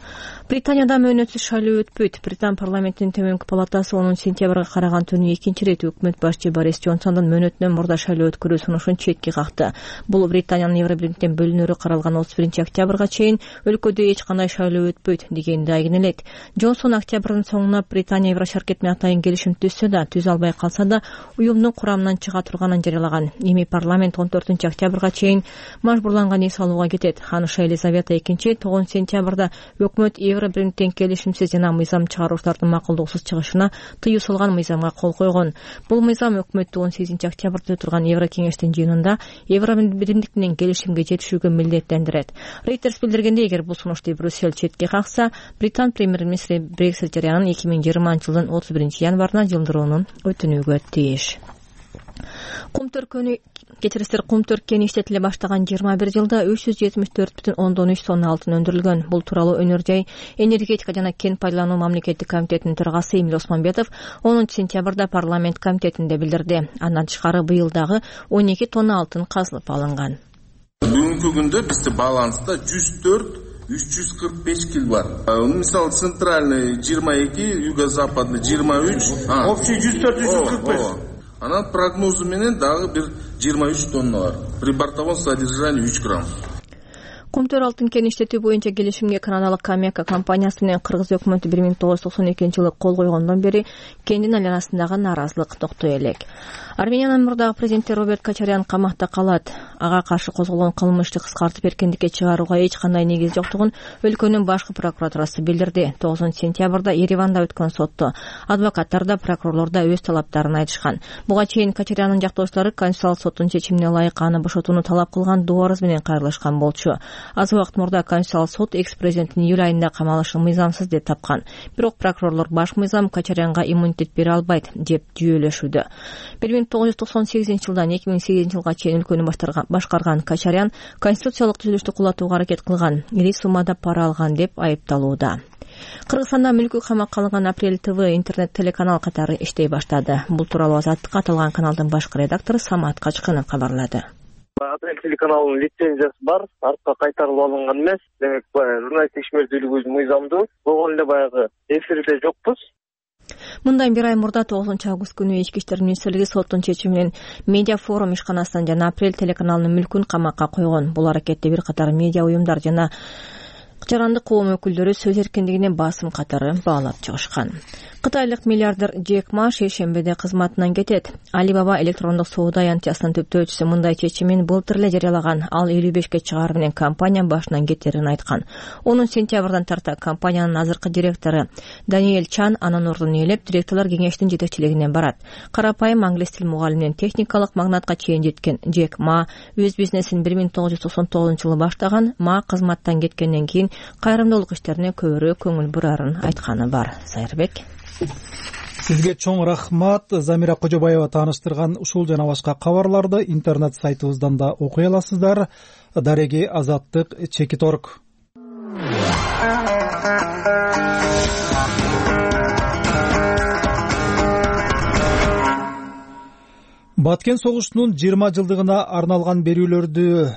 Британияда мөөнөтсүз шайлоо өтпөйт. Британ парламентинин төмөнкү палатасы онунчу сентябрга караган түнү экинчи ирет өкмөт башчы Борис Джонсондун мөөнөтүнөн мурда шайлоо өткөрүү сунушун четке какты. Бул Британиянын Евробирликтен бөлүнөрү каралган отуз биринчи октябрга чейин өлкөдө эч кандай шайлоо өтпөйт дегенди айгинелейт. Джонсон октябрдын соңуна Британия Еврошаркет менен атайын келишим түзсө да, түзө албай калса да, уюмдун курамынан чыга турганын жарыялаган. Эми парламент он төртүнчү октябрга чейин мажбурланган эс алууга кетет. Ханыша Елизавета экинчи тогузунчу сентябрда өкмөт Евробирликтен келишимсиз жана мыйзам чыгаруучулардын макулдугусуз чыгышына тыюу салган мыйзамга кол койгон. Бул мыйзам өкмөттү он сегизинчи октябрда турган Еврокеңештин жыйынында Евробирлик менен келишимге жетишүүгө милдеттендирет. Reuters билдиргендей, эгер бул сунушту Брюссель четке какса, Британ премьер-министри Брексит жарыянын эки миң жыйырманчы жылдын отуз биринчи январына жылдырууну өтүнүүгө тийиш. Кум төркөнү кечирисиздер кум төрткени иштетиле баштаган жыйырма бир жылда үч жүз жетимиш төрт бүтүн ондон үч тонна алтын өндүрүлгөн. Бул тууралуу Өнөр жай, энергетика жана кен пайдалануу мамлекеттик комитетинин төрагасы Эмил Осмонбетов онунчу сентябрда парламент комитетинде билдирди. Андан тышкары быйыл дагы он эки тонна алтын казылып алынган. Бүгүнкү күндө бизде баланста жүз төрт үч жүз кырк беш кил бар. Мисалы центральный жыйырма эки, юго-западный жыйырма үч, общий жүз төрт үч жүз кырк беш. Анан прогнозу менен дагы бир жыйырма үч тонна бар. При бортовом содержании үч грамм. Кумтөр алтын кен иштетүү боюнча келишимге канадалык Камека компаниясы менен кыргыз өкмөтү бир миң тогуз жүз токсон экинчи жылы кол койгондон бери кендин айланасындагы нааразылык токтой элек. Армениянын мурдагы президенти Роберт Кочарян камакта калат. Ага каршы козголгон кылмышты кыскартып эркиндикке чыгарууга эч кандай негиз жоктугун өлкөнүн башкы прокуратурасы билдирди. тогузунчу сентябрда Ереванда өткөн сотто адвокаттар да прокурорлор да өз талаптарын айтышкан. Буга чейин Кочаряндын жактоочулары Конституциялык соттун чечимине ылайык аны бошотууну талап кылган доо арыз менен кайрылышкан болчу. Аз убакыт мурда Конституциялык сот экс-президенттин июль айында камалышын мыйзамсыз деп тапкан. Бирок прокурорлор баш мыйзам Кочарянга иммунитет бере албайт деп жүйөлөшүүдө. бир миң тогуз жүз токсон сегизинчи жылдан эки миң сегизинчи жылга чейин өлкөнү башкарган Кочарян конституциялык түзүлүштү кулатууга аракет кылган, ири суммада пара алган деп айыпталууда. Кыргызстанда мүлкү камакка алынган Апрель ТВ интернет телеканал катары иштей баштады. Бул тууралуу Азаттыкка аталган каналдын башкы редактору Самат Качкынов кабарлады. Апрель телеканалынын лицензиясы бар, артка кайтарылып алынган эмес. Демек, журналисттик ишмердүүлүгүбүз мыйзамдуу. Болгон эле баягы эфирде жокпуз. Мындан бир ай мурда тогузунчу август күнү Ички иштер министрлиги соттун чечими менен Медиа форум ишканасынан жана Апрель телеканалынын мүлкүн камакка койгон. Бул аракетте бир катар медиа уюмдар жана жарандык коом өкүлдөрү сөз эркиндигине басым катары баалап чыгышкан. Кытайлык миллиардер Джек Ма шейшембиде кызматынан кетет. Alibaba электрондук соода аянтчасынын түптөөчүсү мындай чечимин былтыр эле жарыялаган. Ал элүү бешке чыгары менен компания башынан кетерин айткан. онунчу сентябрдан тарта компаниянын азыркы директору Даниэль Чан анын ордун ээлеп, директорлор кеңештин жетекчилигине барат. Карапайым англис тил мугалиминен техникалык магнатка чейин жеткен Джек Ма өз бизнесин бир миң тогуз жүз токсон тогузунчу жылы баштаган. Ма кызматтан кеткенден кийин кайрымдуулук иштерине көбүрөөк көңүл бурарын айтканы бар. Сайырбек. Сизге чоң рахмат. Замира Кожобаева тааныштырган ушул жана башка кабарларды интернет сайтыбыздан да окуй аласыздар. Дареги Азаттык Чекиторг. Баткен согушунун жыйырма жылдыгына арналган берүүлөрдү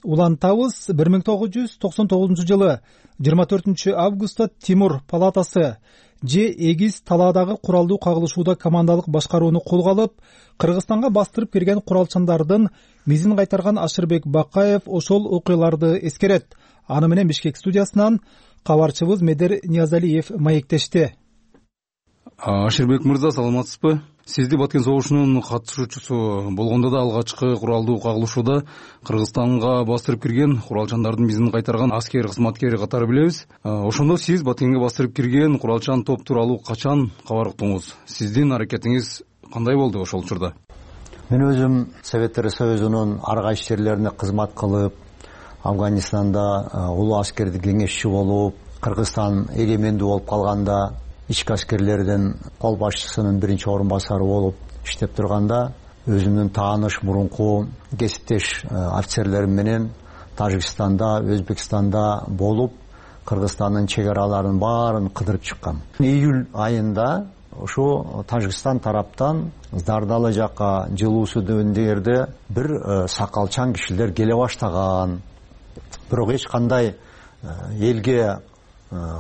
улантабыз. бир миң тогуз жүз токсон тогузунчу жылы жыйырма төртүнчү августта Тимур палатасы же эгиз талаадагы куралдуу кагылышууда командалык башкарууну колго алып, Кыргызстанга бастырып кирген куралчандардын мизин кайтарган Ашырбек Бакаев ошол окуяларды эскерет. Аны менен Бишкек студиясынан кабарчыбыз Медер Ниязалиев маектешти. Ашырбек мырза, саламатсызбы? Сизди Баткен согушунун катышуучусу болгондо да алгачкы куралдуу кагылышууда Кыргызстанга бастырып кирген куралчандардын мизин кайтарган аскер кызматкери катары билебиз. Ошондо сиз Баткенге бастырып кирген куралчан топ тууралуу качан кабар уктуңуз? Сиздин аракетиңиз кандай болду ошол учурда? Мен өзүм Советтер Союзунун ар кайсы жерлерине кызмат кылып, Афганистанда улуу аскердик кеңешчи болуп, Кыргызстан эгемендүү болуп калганда ички аскерлердин кол башчысынын биринчи орун басары болуп иштеп турганда, өзүмдүн тааныш мурунку кесиптеш офицерлерим менен Тажикстанда, Өзбекстанда болуп, Кыргызстандын чек араларын баарын кыдырып чыккам. Июль айында ошо Тажикстан тараптан Дардалы жакка жылуусу дөндөрдө бир сакалчан кишилер келе баштаган. Бирок эч кандай элге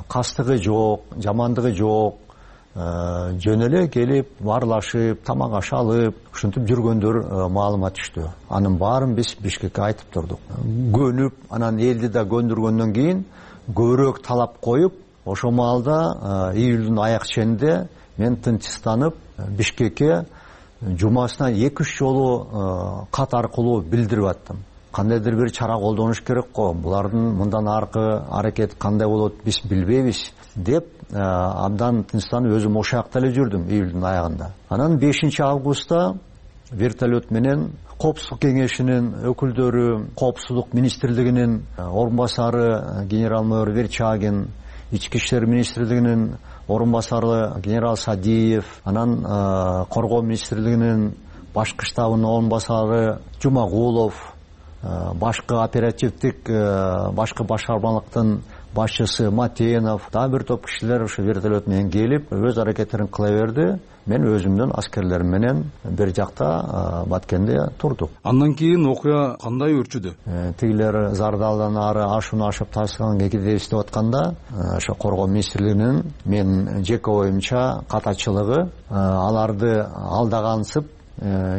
кастыгы жок, жамандыгы жок, жөн эле келип, баарлашып, тамак аш алып, ушинтип жүргөндөр маалымат түштү. Анын баарын биз Бишкекке айтып турдук. Көнүп, анан элди да көндүргөндөн кийин көбүрөөк талап коюп, ошол маалда июлдун аяк ченинде мен тынчсызданып Бишкекке жумасына эки үч жолу кат аркылуу билдирип аттым. Кандайдыр бир чара колдонуш керек го, булардын мындан аркы аракет кандай болот биз билбейбиз деп абдан тынчсызданып өзүм ошол жакта эле жүрдүм июлдун аягында. Анан бешинчи августта вертолет менен Коопсуздук кеңешинин өкүлдөрү, Коопсуздук министрлигинин орун басары генерал-майор Верчагин, Ички иштер министрлигинин орун басары генерал Садиев, анан Коргоо министрлигинин башкы штабынын орун басары Жумагулов, башкы оперативдик башкы башкармалыктын башчысы Матенов, дагы бир топ кишилер ошо вертолет менен келип, өз аракеттерин кыла берди. Мен өзүмдүн аскерлерим менен бир жакта Баткенде турдук. Андан кийин окуя кандай өрчүдү? Тигилер Зардалдан ары ашууну ашып Ташкентке кетебиз деп атканда, ошо Коргоо министрлигинин мен жеке оюмча катачылыгы аларды алдагансып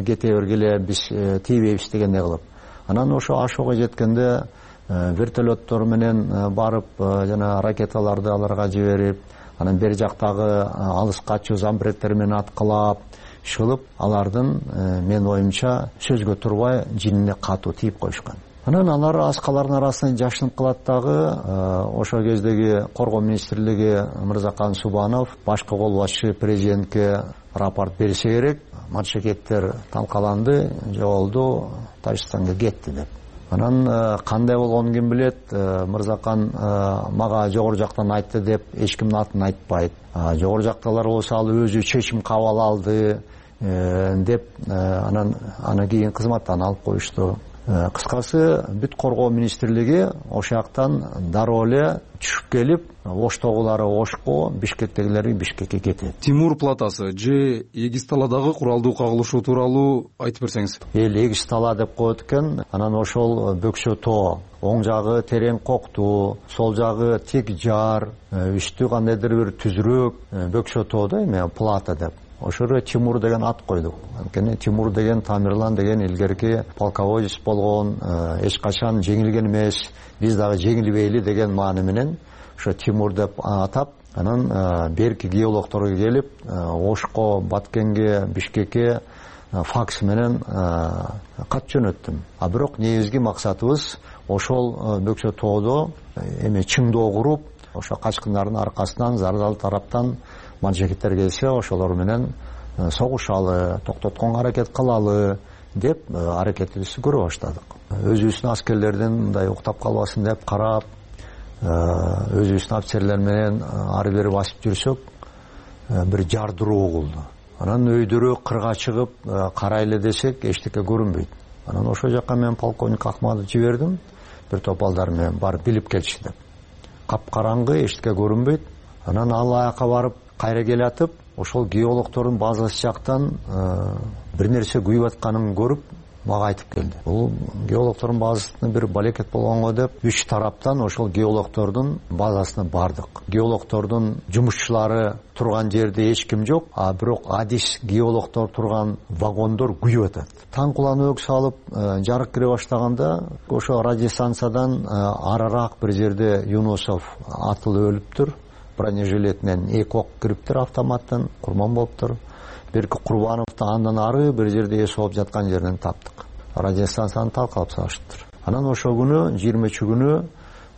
кете бергиле биз тийбейбиз дегендей кылып. Анан ошо ашууга жеткенде вертолеттор менен барып жана ракеталарды аларга жиберип, анан бери жактагы алыс качуу замбректер менен аткылап иш кылып, алардын менин оюмча сөзгө турбай жинине катуу тийип коюшкан. Анан алар аскалардын арасынан жашынып калат дагы. Ошол кездеги коргоо министрлиги Мырзакан Субанов башкы кол башчы президентке рапорт берсе керек. Маджигеттер талкаланды, жоголду, Тажикстанга кетти деп. Анан кандай болгонун ким билет? Мырзакан мага жогору жактан айтты деп эч кимдин атын айтпайт. Жогору жактагылар болсо ал өзү чечим кабыл алды деп анан аны кийин кызматтан алып коюшту. Кыскасы бүт коргоо министрлиги ошол жактан дароо эле түшүп келип, Оштогулары Ошко, Бишкектегилери Бишкекке кетет. Тимур платасы же Эгиз таладагы куралдуу кагылышуу тууралуу айтып берсеңиз. Эл Эгиз тала деп коет экен. Анан ошол Бөкчө тоо, оң жагы терең коктуу, сол жагы тик жар, үстү кандайдыр бир түзүрөөк Бөкчө тоо да эме плата деп. Ошого Тимур деген ат койдук. Анткени Тимур деген Тамирлан деген илгерки полководец болгон, эч качан жеңилген эмес, биз дагы жеңилбейли деген маани менен ошо Тимур деп атап, анан берки геологторго келип, Ошко, Баткенге, Бишкекке факс менен кат жөнөттүм. А бирок негизги максатыбыз ошол Бөкчө тоодо эме чыңдоо куруп, ошо качкындардын аркасынан зардал тараптан маджигиттер келсе, ошолор менен согушалы, токтотконго аракет кылалы деп аракетибизди көрө баштадык. Өзүбүздүн аскерлердин мындай уктап калбасын деп карап, өзүбүздүн офицерлер менен ары бери басып жүрсөк, бир жардыруу угулду. Анан өйдөрү кырга чыгып карайлы десек, эчтеке көрүнбөйт. Анан ошол жака мен полковник Акматовду жибердим, бир топ балдар менен барып билип келчи деп. Капкараңгы, эчтеке көрүнбөйт. Анан ал аяка барып кайра келатып, ошол геологтордун базасы жактан бир нерсе күйүп атканын көрүп, мага айтып келди. Бул геологтордун базасында бир балекет болгонго деп, үч тараптан ошол геологтордун базасына бардык. Геологтордун жумушчулары турган жерде эч ким жок, а бирок адис геологтор турган вагондор күйүп атат. Таң куланы өк салып, жарык кире баштаганда, ошо радиостанциядан арыраак бир жерде Юнусов атылып өлүптүр. Бронежилетинен эки ок кириптир автоматтан, курман болуптур. Берки Курбановду андан ары бир жерде эс алып жаткан жерден таптык. Радиостанцияны талкалап салышыптыр. Анан ошол күнү, жыйырмачы күнү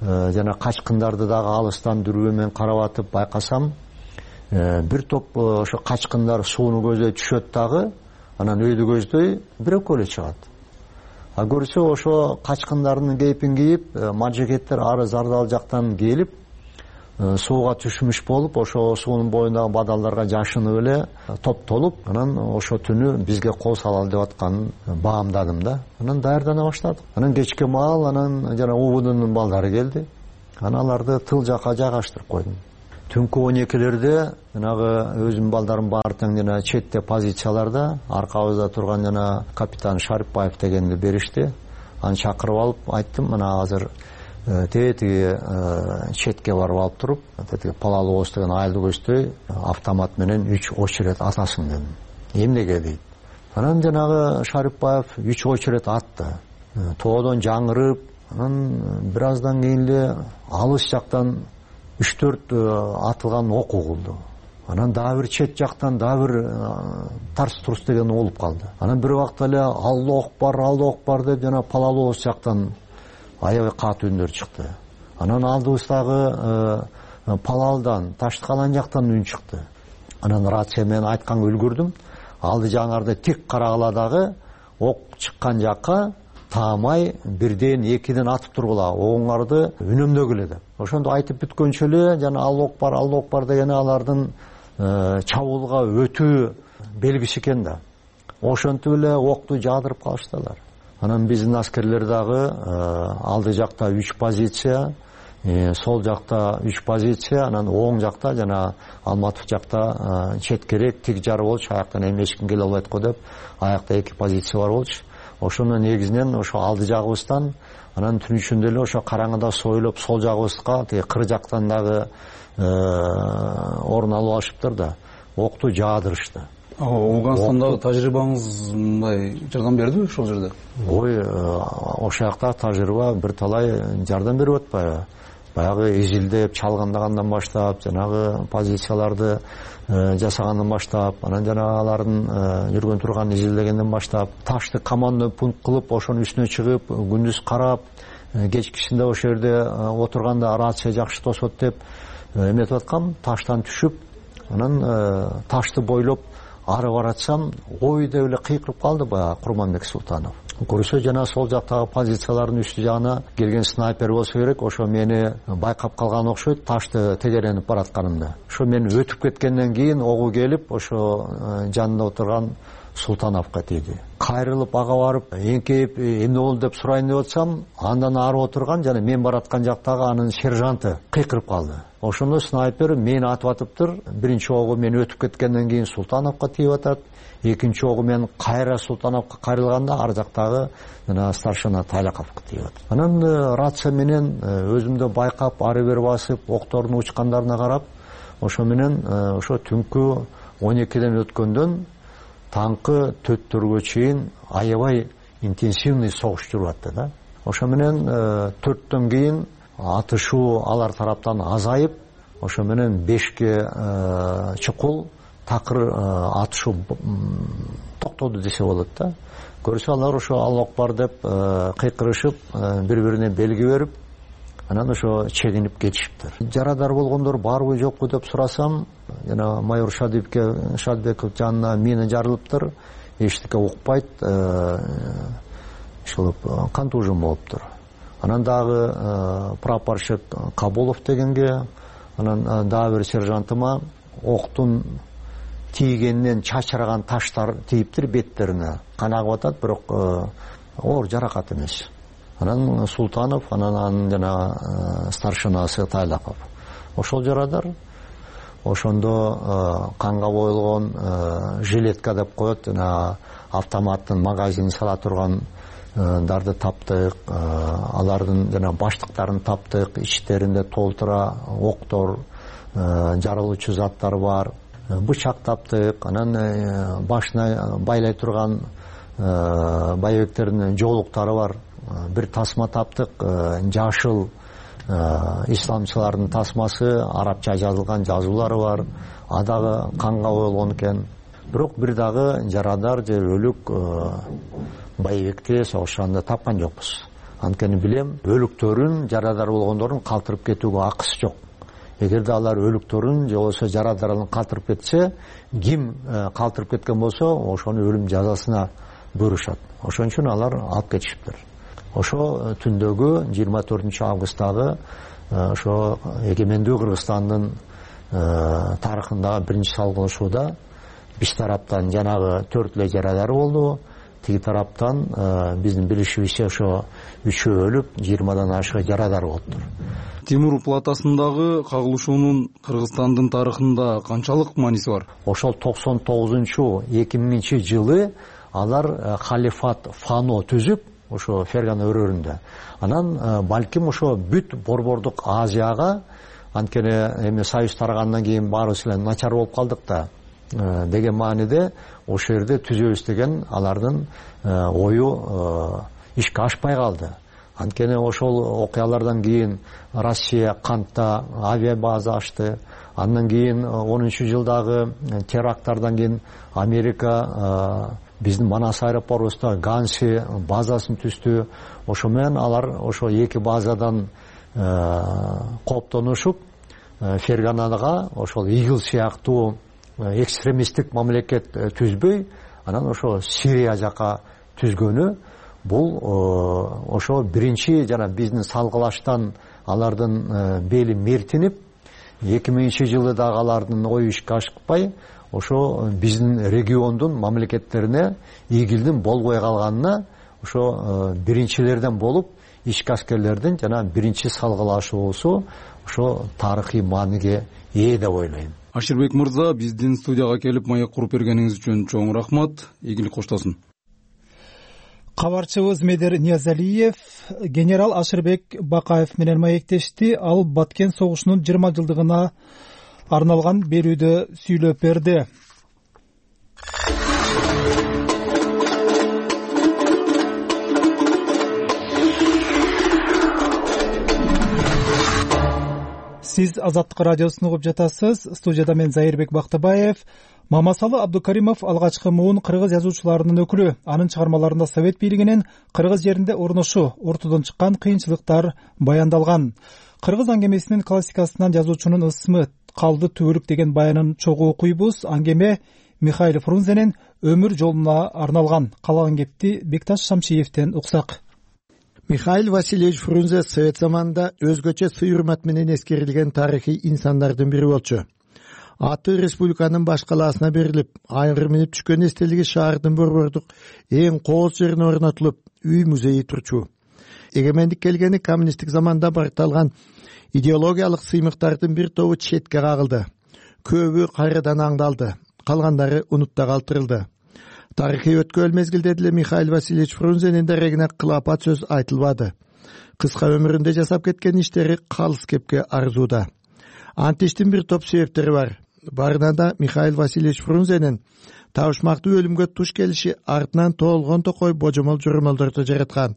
жана качкындарды дагы алыстан дүрбө менен карап атып байкасам, бир топ ошо качкындар сууну көздөй түшөт дагы, анан өйдү көздөй бир экөө эле чыгат. А көрсө ошо качкындардын кейпин кийип, маджигеттер ары Зардал жактан келип, сууга түшмүш болуп, ошо суунун боюндагы бадалдарга жашынып эле топтолуп, анан ошо түнү бизге кол салалы деп атканын баамдадым да. Анан даярдана баштадык. Анан кечке маал анан жана УВДнын балдары келди. Анан аларды тыл жака жайгаштырып койдум. Түнкү он экилерде жанагы өзүмдүн балдарым бар тең жана четте позицияларда аркабызда турган жана капитан Шарипбаев дегенди беришти. Аны чакырып алып айттым, мына азыр тетиги четке барып алып туруп, тетиги Палалоос деген айылды көздөй автомат менен үч очеред атасың дедим. Эмнеге дейт. Анан жанагы Шарипбаев үч очеред атты. Тоодон жаңырып, анан бир аздан кийин эле алыс жактан үч төрт атылган ок угулду. Анан дагы бир чет жактан дагы бир тарс-турс деген болуп калды. Анан бир убакта эле Аллах бар, Аллах бар деп жана Палалоос жактан аябай катуу үндөр чыкты. Анан алдыбыздагы Палалдан, Таштыкалан жактан үн чыкты. Анан рация менен айтканга үлгүрдүм. Алды жаңарды тик карагыла дагы ок чыккан жакка таамай бирден экиден атып тургула, оңарды үнөмдөгүлө деп. Ошондо айтып бүткөнчө эле жана Аллах бар, Аллах бар деген алардын чабуулга өтүү белгиси экен да. Ошентип эле окту жаадырып калыштылар. Анан биздин аскерлер дагы алды жакта үч позиция, сол жакта үч позиция, анан оң жакта жана Алматов жакта четкерээк тик жар болчу, аяктан эми эч ким келе албайт го деп, аякта эки позиция бар болчу. Ошонун негизинен ошо алды жагыбыздан, анан түн ичинде эле ошо караңгыда сойлоп сол жагыбызга тиги кыр жактан дагы орун алып алышыптыр да, окту жаадырышты. Ооганстандагы тажрыйбаңыз мындай жардам бердиби ошол жерде? Ой, ошол жакта тажрыйба бир талай жардам берип атпайбы? Баягы изилдеп чалгандагандан баштап, жанагы позицияларды жасагандан баштап, анан жанагы алардын жүргөн турган изилдегенден баштап, ташты командный пункт кылып, ошонун үстүнө чыгып, күндүз карап, кечкисинде ошол жерде отурганда рация жакшы тосот деп эметип аткам, таштан түшүп, анан ташты бойлоп ары баратсам, ой деп эле кыйкырып калды баягы Курманбек Султанов. Көрсө жана сол жактагы позициялардын үстү жагына келген снайпер болсо керек, ошо мени байкап калган окшойт, ташты тегеренип баратканымда. Ошо мен өтүп кеткенден кийин огу келип, ошо жанында отурган Султановго тийди. Кайрылып ага барып, эңкейип эмне болду деп сурайын деп атсам, андан ары отурган жана мен бараткан жактагы анын сержанты кыйкырып калды. Ошондо снайпер мени атып атыптыр. Биринчи огу мен өтүп кеткенден кийин Султановго тийип атат. Экинчи огу мен кайра Султановго кайрылганда ар жактагы жана старшина Тайлаковго тийип атат. Анан рация менен өзүмдү байкап, ары бери басып, октордун учкандарына карап, ошо менен ошо түнкү он экиден өткөндөн таңкы төрттөргө чейин аябай интенсивный согуш жүрүп атты да. Ошо менен төрттөн кийин атышуу алар тараптан азайып, ошо менен бешке чукул такыр атышуу токтоду десе болот да. Көрсө алар ошо Аллах бар деп кыйкырышып, бири-бирине белги берип, анан ошо чегинип кетишиптир. Жарадар болгондор барбы жокпу деп сурасам, жана майор Шадибеков Шадибеков жанына мина жарылыптыр, эчтеке укпайт, ошол контужен болуптур. Анан дагы прапорщик Кабулов дегенге, анан дагы бир сержантыма октун тийгенинен чачыраган таштар тийиптир беттерине. Кан агып атат, бирок оор жаракат эмес. Анан Султанов, анан анын жана старшинасы Тайлаков. Ошол жарадар. Ошондо канга бойлгон жилетка деп коет, жана автоматтын магазинин сала турган дарды таптык, алардын жана баштыктарын таптык, ичтеринде толтура октор, жарылуучу заттар бар, бычак таптык, анан башына байлай турган байбектердин жоолуктары бар, бир тасма таптык, жашыл исламчылардын тасмасы, арабча жазылган жазуулары бар, адагы канга боелгон экен. Бирок бир дагы жарадар же өлүк байбекте согушканда тапкан жокпуз. Анткени билем, өлүктөрүн, жарадар болгондордун калтырып кетүүгө акысы жок. Эгерде алар өлүктөрүн же болбосо жарадарын калтырып кетсе, ким калтырып кеткен болсо, ошону өлүм жазасына буйрушат. Ошон үчүн алар алып кетишиптир. Ошо түндөгү жыйырма төртүнчү августтагы ошо эгемендүү Кыргызстандын тарыхындагы биринчи салгылашууда биз тараптан жанагы төрт эле жарадар болду. Тиги тараптан биздин билишибизче ошо үчөө өлүп, жыйырмадан ашык жарадар болуптур. Тимур платасындагы кагылышуунун Кыргызстандын тарыхында канчалык мааниси бар? Ошол токсон тогузунчу эки миңинчи жылы алар халифат Фано түзүп, ошо Фергана өрөөрүндө. Анан балким ошо бүт Борбордук Азияга, анткени эми союз тарагандан кийин баарыбыз эле начар болуп калдык да деген мааниде ошол жерде түзөбүз деген алардын ою ишке ашпай калды. Анткени ошол окуялардан кийин Россия Кантта авиабаза ачты. Андан кийин онунчу жылдагы теракттардан кийин Америка биздин Манас аэропортубузда Ганси базасын түздү. Ошо менен алар ошо эки базадан кооптонушуп Ферганага ошол Игил сыяктуу экстремисттик мамлекет түзбөй, анан ошо Сирия жака түзгөнү бул ошо биринчи жана биздин салгылаштан алардын бели мертинип, эки миңинчи жылы дагы алардын ою ишке ашпай, ошо биздин региондун мамлекеттерине Игилдин болбой калганына ошо биринчилерден болуп, ички аскерлердин жана биринчи салгылашуусу ошо тарыхый мааниге ээ деп ойлойм. Аширбек мырза, биздин студияга келип маек куруп бергениңиз үчүн чоң рахмат. Ийгилик коштосун. Кабарчыбыз Медер Ниязалиев генерал Аширбек Бакаев менен маектешти. Ал Баткен согушунун жыйырма жылдыгына арналган берүүдө сүйлөп берди. сиз Азаттык радиосун угуп жатасыз. Студияда мен Зайырбек Бактыбаев. Мамасалы Абдукаримов алгачкы муун кыргыз жазуучуларынын өкүлү. Анын чыгармаларында совет бийлигинин кыргыз жеринде орношу, ортодон чыккан кыйынчылыктар баяндалган. Кыргыз аңгемесинин классикасынан жазуучунун ысмы калды түбөлүк деген баянын чогуу окуйбуз. Аңгеме Михаил Фрунзенин өмүр жолуна арналган. Калаган кепти Бекташ Шамшиевден уксак. Михаил Васильевич Фрунзе совет заманында өзгөчө сый-урмат менен эскерилген тарыхый инсандардын бири болчу. Аты республиканын баш калаасына берилип, айгыр минип түшкөн эстелиги шаардын борбордук эң кооз жерине орнотулуп, үй музейи турчу. Эгемендик келгени коммунисттик заманда баркталган идеологиялык сыймыктардын бир тобу четке кагылды. Көбү кайрадан аңдалды, калгандары унутта калтырылды. Тарыхый өткөл мезгилде деле Михаил Васильевич Фрунзенин дарегине кылапат сөз айтылбады. Кыска өмүрүндө жасап кеткен иштери калыс кепке арзууда. Антиштин бир топ себептери бар. Барынан да Михаил Васильевич Фрунзенин табышмактуу өлүмгө туш келиши артынан тоолгон токой божомол журмалдарды жараткан.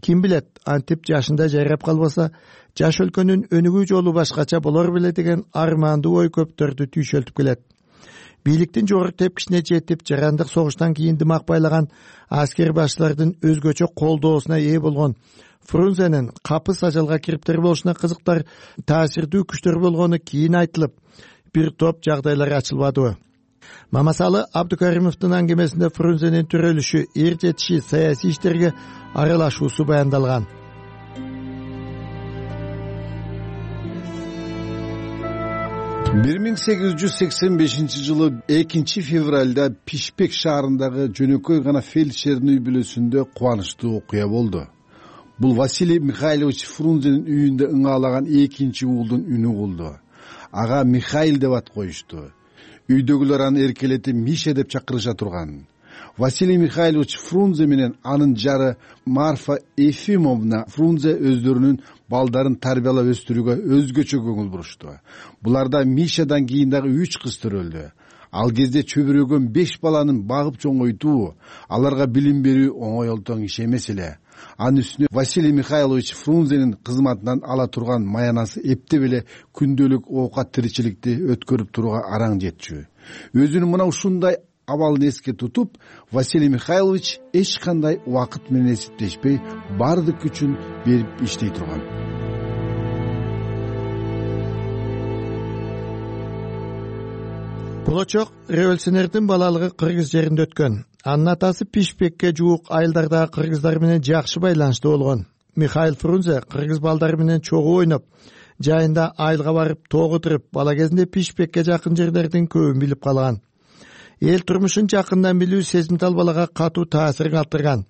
Ким билет, антип жашында жайрап калбаса, жаш өлкөнүн өнүгүү жолу башкача болор беле деген армандуу ой көптөрдү түйшөлтүп келет. Бийликтин жогорку тепкичине жетип, жарандык согуштан кийин дымак байлаган аскер башчылардын өзгөчө колдоосуна ээ болгон Фрунзенин капыс ажалга кириптер болушуна кызыктар таасирдүү күчтөр болгону кийин айтылып, бир топ жагдайлар ачылбадыбы. Мамасалы Абдукаримовдун аңгемесинде Фрунзенин төрөлүшү, эр жетиши, саясий иштерге аралашуусу баяндалган. бир миң сегиз жүз сексен бешинчи жылы экинчи февралда Пишпек шаарындагы жөнөкөй гана фельдшердин үй бүлөсүндө кубанычтуу окуя болду. Бул Василий Михайлович Фрунзенин үйүндө ыңаалаган экинчи уулдун үнү болду. Ага Михаил деп ат коюшту. Үйдөгүлөр аны эркелетип Миша деп чакырыша турган. Василий Михайлович Фрунзе менен анын жары Марфа Ефимовна Фрунзе өздөрүнүн балдарын тарбиялап өстүрүүгө өзгөчө көңүл бурушту. Буларда Мишадан кийин дагы үч кыз төрөлдү. Ал кезде чөбүрөгөн беш баланын багып чоңойтуу, аларга билим берүү оңой олтоң иш эмес эле. Анын үстүнө Василий Михайлович Фрунзенин кызматынан ала турган маянасы эптеп эле күндөлүк оокат тиричиликти өткөрүп турууга араң жетчү. Өзүнүн мына ушундай абалын эске тутуп, Василий Михайлович эч кандай убакыт менен эсептешпей, бардык күчүн берип иштей турган. Болочок революционердин балалыгы кыргыз жеринде өткөн. Анын атасы Пишпекке жуук айылдардагы кыргыздар менен жакшы байланышты болгон. Михаил Фрунзе кыргыз балдары менен чогуу ойноп, жайында айылга барып тогутуруп, бала кезинде Пишпекке жакын жерлердин көбүн билип калган. Эл турмушун жакындан билүү сезимтал балага катуу таасир калтырган.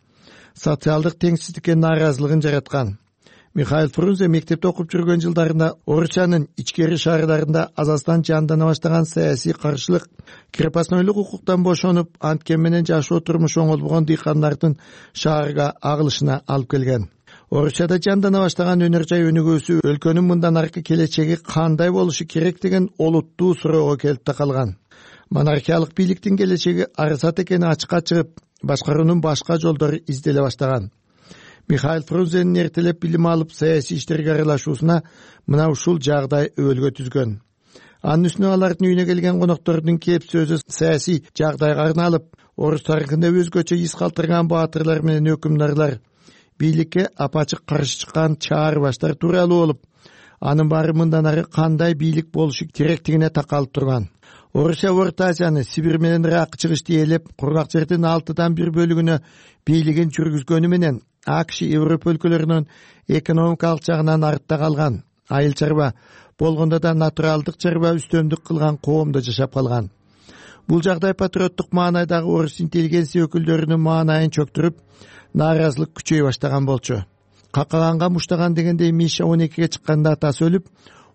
Социалдык теңсиздикке нааразылыгын жараткан. Михаил Фрунзе мектепте окуп жүргөн жылдарында Орусиянын ичкери шаардарында азастан жандана баштаган саясий каршылык, крепостнойлук укуктан бошонуп, анткен менен жашоо турмушу оңолбогон дыйкандардын шаарга агылышына алып келген. Орусияда жандана баштаган өнөр жай өнүгүүсү өлкөнүн мындан аркы келечеги кандай болушу керек деген олуттуу суроого келип такалган. Монархиялык бийликтин келечеги арсат экени ачыкка чыгып, башкаруунун башка жолдору изделе баштаган. Михаил Фрунзенин эртелеп билим алып, саясий иштерге аралашуусуна мына ушул жагдай өбөлгө түзгөн. Анын үстүнө алардын үйүнө келген коноктордун кеп сөзү саясий жагдайга арналып, орус тарыхында өзгөчө из калтырган баатырлар менен өкүмдарлар, бийликке апачык каршы чыккан чаар баштар тууралуу болуп, анын баары мындан ары кандай бийлик болушу керектигине такалып турган. Орусия Орто Азияны Сибирь менен Ирак чыгышты ээлеп, кургак жердин алтыдан бир бөлүгүнө бийлигин жүргүзгөнү менен АКШ Европа өлкөлөрүнүн экономикалык жагынан артта калган, айыл чарба болгондо да натуралдык чарба үстөмдүк кылган коомдо жашап калган. Бул жагдай патриоттук маанайдагы орус интеллигенция өкүлдөрүнүн маанайын чөктүрүп, нааразылык күчөй баштаган болчу. Какаганга муштаган дегендей Миша он экиге чыкканда атасы өлүп,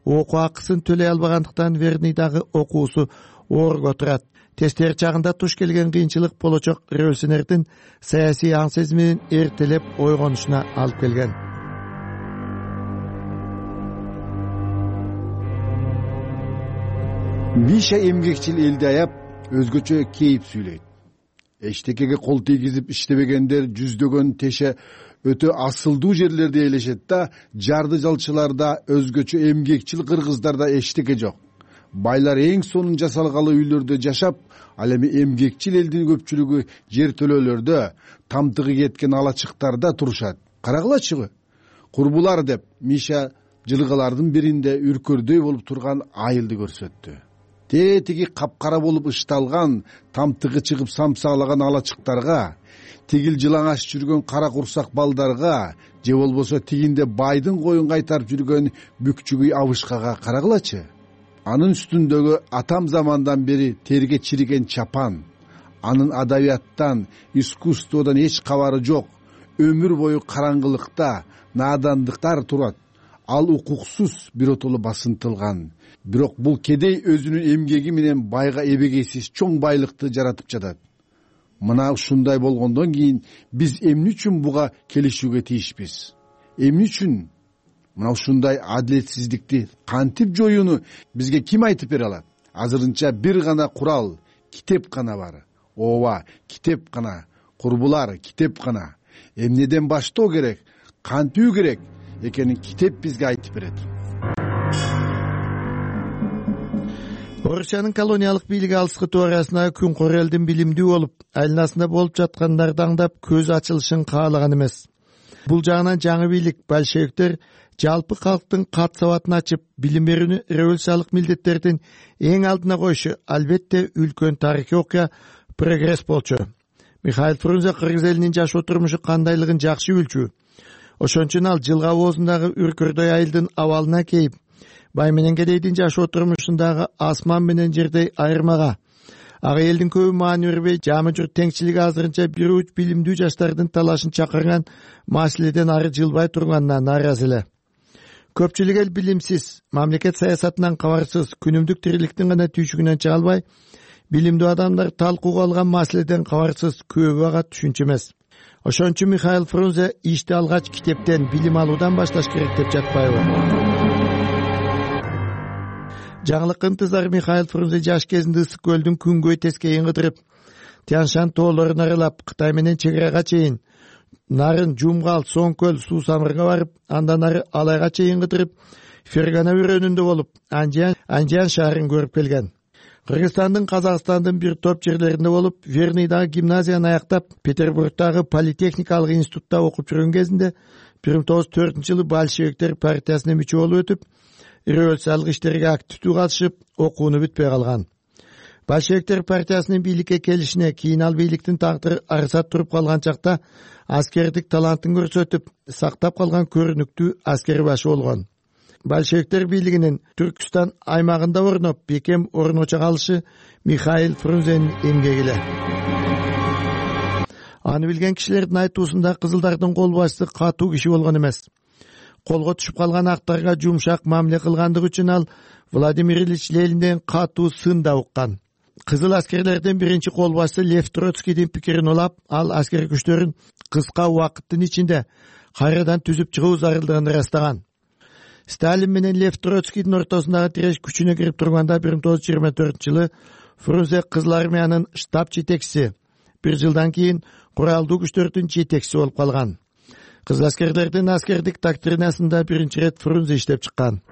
окуу акысын төлөй албагандыктан Верныйдагы окуусу оорго турат. Тестер чагында туш келген кыйынчылык болочок революционердин саясий аң сезиминин эртелеп ойгонушуна алып келген. Миша эмгекчил элди аяп, өзгөчө кейип сүйлөйт. Эчтекеге кол тийгизип иштебегендер жүздөгөн теше өтө асылдуу жерлерди ээлешет да, жарды жалчыларда, өзгөчө эмгекчил кыргыздарда эчтеке жок. Байлар эң сонун жасалгалы үйлөрдө жашап, ал эми эмгекчил элдин көпчүлүгү жер төлөөлөрдө, тамтыгы кеткен алачыктарда турушат. Карагылачы, курбулар деп Миша жылгалардын биринде үркөрдөй болуп турган айылды көрсөттү. Тетиги капкара болуп ышталган, тамтыгы чыгып самсаалаган алачыктарга, тигил жылаңаш жүргөн кара курсак балдарга, же болбосо тигинде байдын коюн кайтарып жүргөн бүкчүгүй абышкага карагылачы. Анын үстүндөгү атам замандан бери терге чириген чапан, анын адабияттан, искусстводон эч кабары жок, өмүр бою караңгылыкта, надандыктар турат. Ал укуксуз биротоло басынтылган. Бирок бул кедей өзүнүн эмгеги менен байга эбегейсиз чоң байлыкты жаратып жатат. Мына ушундай болгондон кийин биз эмне үчүн буга келишүүгө тийишпиз? Эмне үчүн мына ушундай адилетсиздикти кантип жоюуну бизге ким айтып бере алат? Азырынча бир гана курал, китеп гана бар. Ооба, китеп гана. Курбулар, китеп гана. Эмнеден баштоо керек, кантүү керек экенин китеп бизге айтып берет. Орусиянын колониялык бийлиги алыскы тоо арасына күн кор элдин билимдүү болуп, айланасында болуп жаткандарды аңдап көз ачылышын каалаган эмес. Бул жагынан жаңы бийлик большевиктер жалпы калктын кат сабатын ачып, билим берүүнү революциялык милдеттердин эң алдына коюшу албетте үлкөн тарыхый окуя, прогресс болчу. Михаил Фрунзе кыргыз элинин жашоо турмушу кандайлыгын жакшы билчү. Ошон үчүн ал жылга оозундагы үркөрдөй айылдын абалына кейип, бай менен кедейдин жашоо турмушундагы асман менен жердей айырмага, ага элдин көбү маани бербей, жамы журт теңчилиги азырынча бир уч билимдүү жаштардын талашын чакырган маселеден ары жылбай турганына нааразы эле. Көпчүлүк эл билимсиз, мамлекет саясатынан кабарсыз, күнүмдүк тириликтин гана түйшүгүнөн чыга албай, билимдүү адамдар талкууга алган маселеден кабарсыз, көбү ага түшүнчү эмес. Ошон үчүн Михаил Фрунзе ишти алгач китептен, билим алуудан башташ керек деп жатпайбы? Жаңылык ынтызар Михаил Фрунзе жаш кезинде ысык көлдүн күнгөй тескейин кыдырып, Тяншан тоолорун аралап, Кытай менен чек арага чейин, нарын Жумгал, Соңкөл, Суу Самырга барып, андан ары Алайга чейин кыдырып, Фергана өрөөнүндө болуп, Анжиан шаарын көрүп келген. Кыргызстандын, Казакстандын бир топ жерлеринде болуп, Верныйдагы гимназияны аяктап, Петербургдагы политехникалык институтта окуп жүргөн кезинде бир миң тогуз жүз төртүнчү жылы большевиктер партиясына мүчө болуп өтүп, революциялык иштерге активдүү катышып, окууну бүтпөй калган. Большевиктер партиясынын бийликке келишине кийин ал бийликтин тагдыры арсат туруп калган чакта аскердик талантын көрсөтүп, сактап калган көрүнүктүү аскер башы болгон. Большевиктер бийлигинин Түркүстан аймагында орноп, бекем орночо калышы Михаил Фрунзенин эмгеги эле. Аны билген кишилердин айтуусунда кызылдардын кол башчысы катуу киши болгон эмес. Колго түшүп калган актарга жумшак мамиле кылгандыгы үчүн ал Владимир Ильич Ленинден катуу сын да уккан. Кызыл аскерлердин биринчи кол башчысы Лев Троцкийдин пикирин улап, ал аскер күчтөрүн кыска убакыттын ичинде кайрадан түзүп чыгуу зарылдыгын ырастаган. Сталин менен Лев Троцкийдин ортосундагы тиреш күчүнө кирип турганда бир миң тогуз жүз жыйырма төртүнчү жылы Фрунзе Кызыл армиянын штаб жетекчиси, бир жылдан кийин куралдуу күчтөрдүн жетекчиси болуп калган. Кызыл аскерлердин аскердик доктринасында биринчи ирет Фрунзе иштеп чыккан.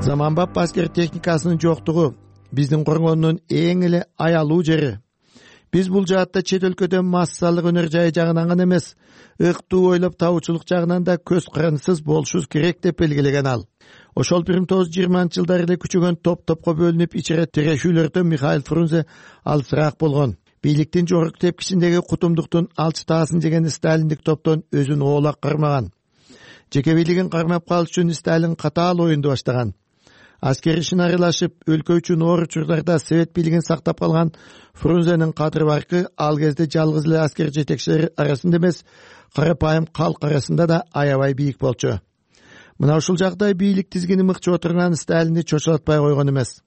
Заманбап аскер техникасынын жоктугу биздин коргондун эң эле аялуу жери. Биз бул жаатта чет өлкөдөн массалык өнөр жайы жагынан гана эмес, ыктуу ойлоп табуучулук жагынан да көз карандысыз болушубуз керек деп белгилеген ал. Ошол бир миң тогуз жүз жыйырманчы жылдары эле күчөгөн топ-топко бөлүнүп ичире тирешүүлөрдө Михаил Фрунзе алысыраак болгон. Бийликтин жогорку тепкичиндеги кутумдуктун алчытаасын жеген сталиндик топтон өзүн оолак кармаган. Жеке бийлигин кармап калыш үчүн Сталин катаал оюнду баштаган. Аскер ишин аралашып, өлкө үчүн оор учурдарда совет бийлигин сактап калган Фрунзенин кадыр баркы ал кезде жалгыз эле аскер жетекчилери арасында эмес, карапайым калк арасында да аябай бийик болчу. Мына ушул жагдай бийлик тизгини мыкчып отурган Сталинди чочулатпай койгон эмес.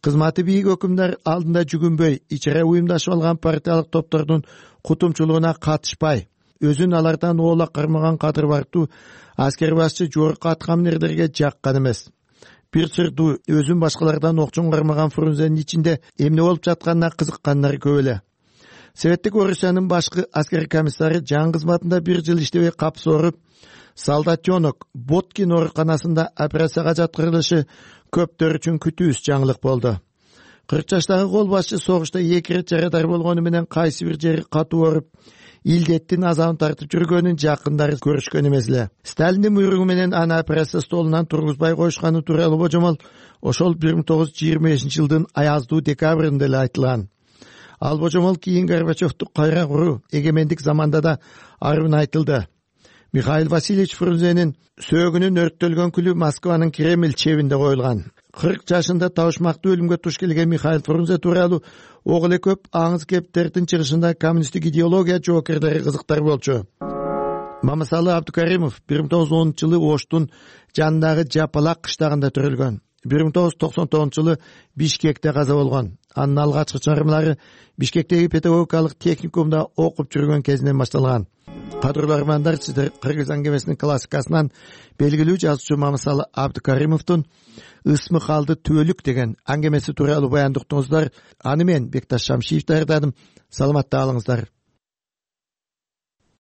Кызматы бийик өкүмдөр алдында жүгүнбөй, ичере уюмдашып алган партиялык топтордун кутумчулугуна катышпай, өзүн алардан оолак кармаган кадыр барктуу аскер башчы жогорку аткаминерлерге жаккан эмес. Бир сырдуу өзүн башкалардан окчоң кармаган Фрунзенин ичинде эмне болуп жатканына кызыккандар көп эле. советтик Орусиянын башкы аскерий комиссары жан кызматында бир жыл иштебей капс ооруп, солдатенок Боткин ооруканасында операцияга жаткырылышы көптөр үчүн күтүүсүз жаңылык болду. кырк жаштагы кол башчы согушта эки ирет жарадар болгону менен кайсы бир жери катуу ооруп, илдеттин азабын тартып жүргөнүн жакындары көрүшкөн эмес эле. Сталиндин буйругу менен аны операция столунан тургузбай коюшканы тууралуу божомол ошол бир миң тогуз жүз жыйырма бешинчи жылдын аяздуу декабрында эле айтылган. Ал божомол кийин Горбачевду кайра куруу эгемендик заманда да арбын айтылды. Михаил Васильевич Фрунзенин сөөгүнүн өрттөлгөн күлү Москванын Кремль чебинде коюлган. кырк жашында табышмактуу өлүмгө туш келген Михаил Фрунзе тууралуу ок эле көп аңыз кептердин чыгышында коммунисттик идеология жоокерлери кызыктар болчу. Мамасалы Абдукаримов бир миң тогуз жүз онунчу жылы Оштун жанындагы Жапалак кыштагында төрөлгөн. бир миң тогуз жүз токсон тогузунчу жылы Бишкекте каза болгон. Анын алгачкы чыгармалары Бишкектеги педагогикалык техникумда окуп жүргөн кезинен башталган. Кадырлуу армандар, сиздер кыргыз аңгемесинин классикасынан белгилүү жазуучу Мамасалы Абдукаримовдун Ысмы калды түбөлүк деген аңгемеси тууралуу баяндыктыңыздар. Аны мен Бекташ Шамшиев даярдадым. Саламатта калыңыздар.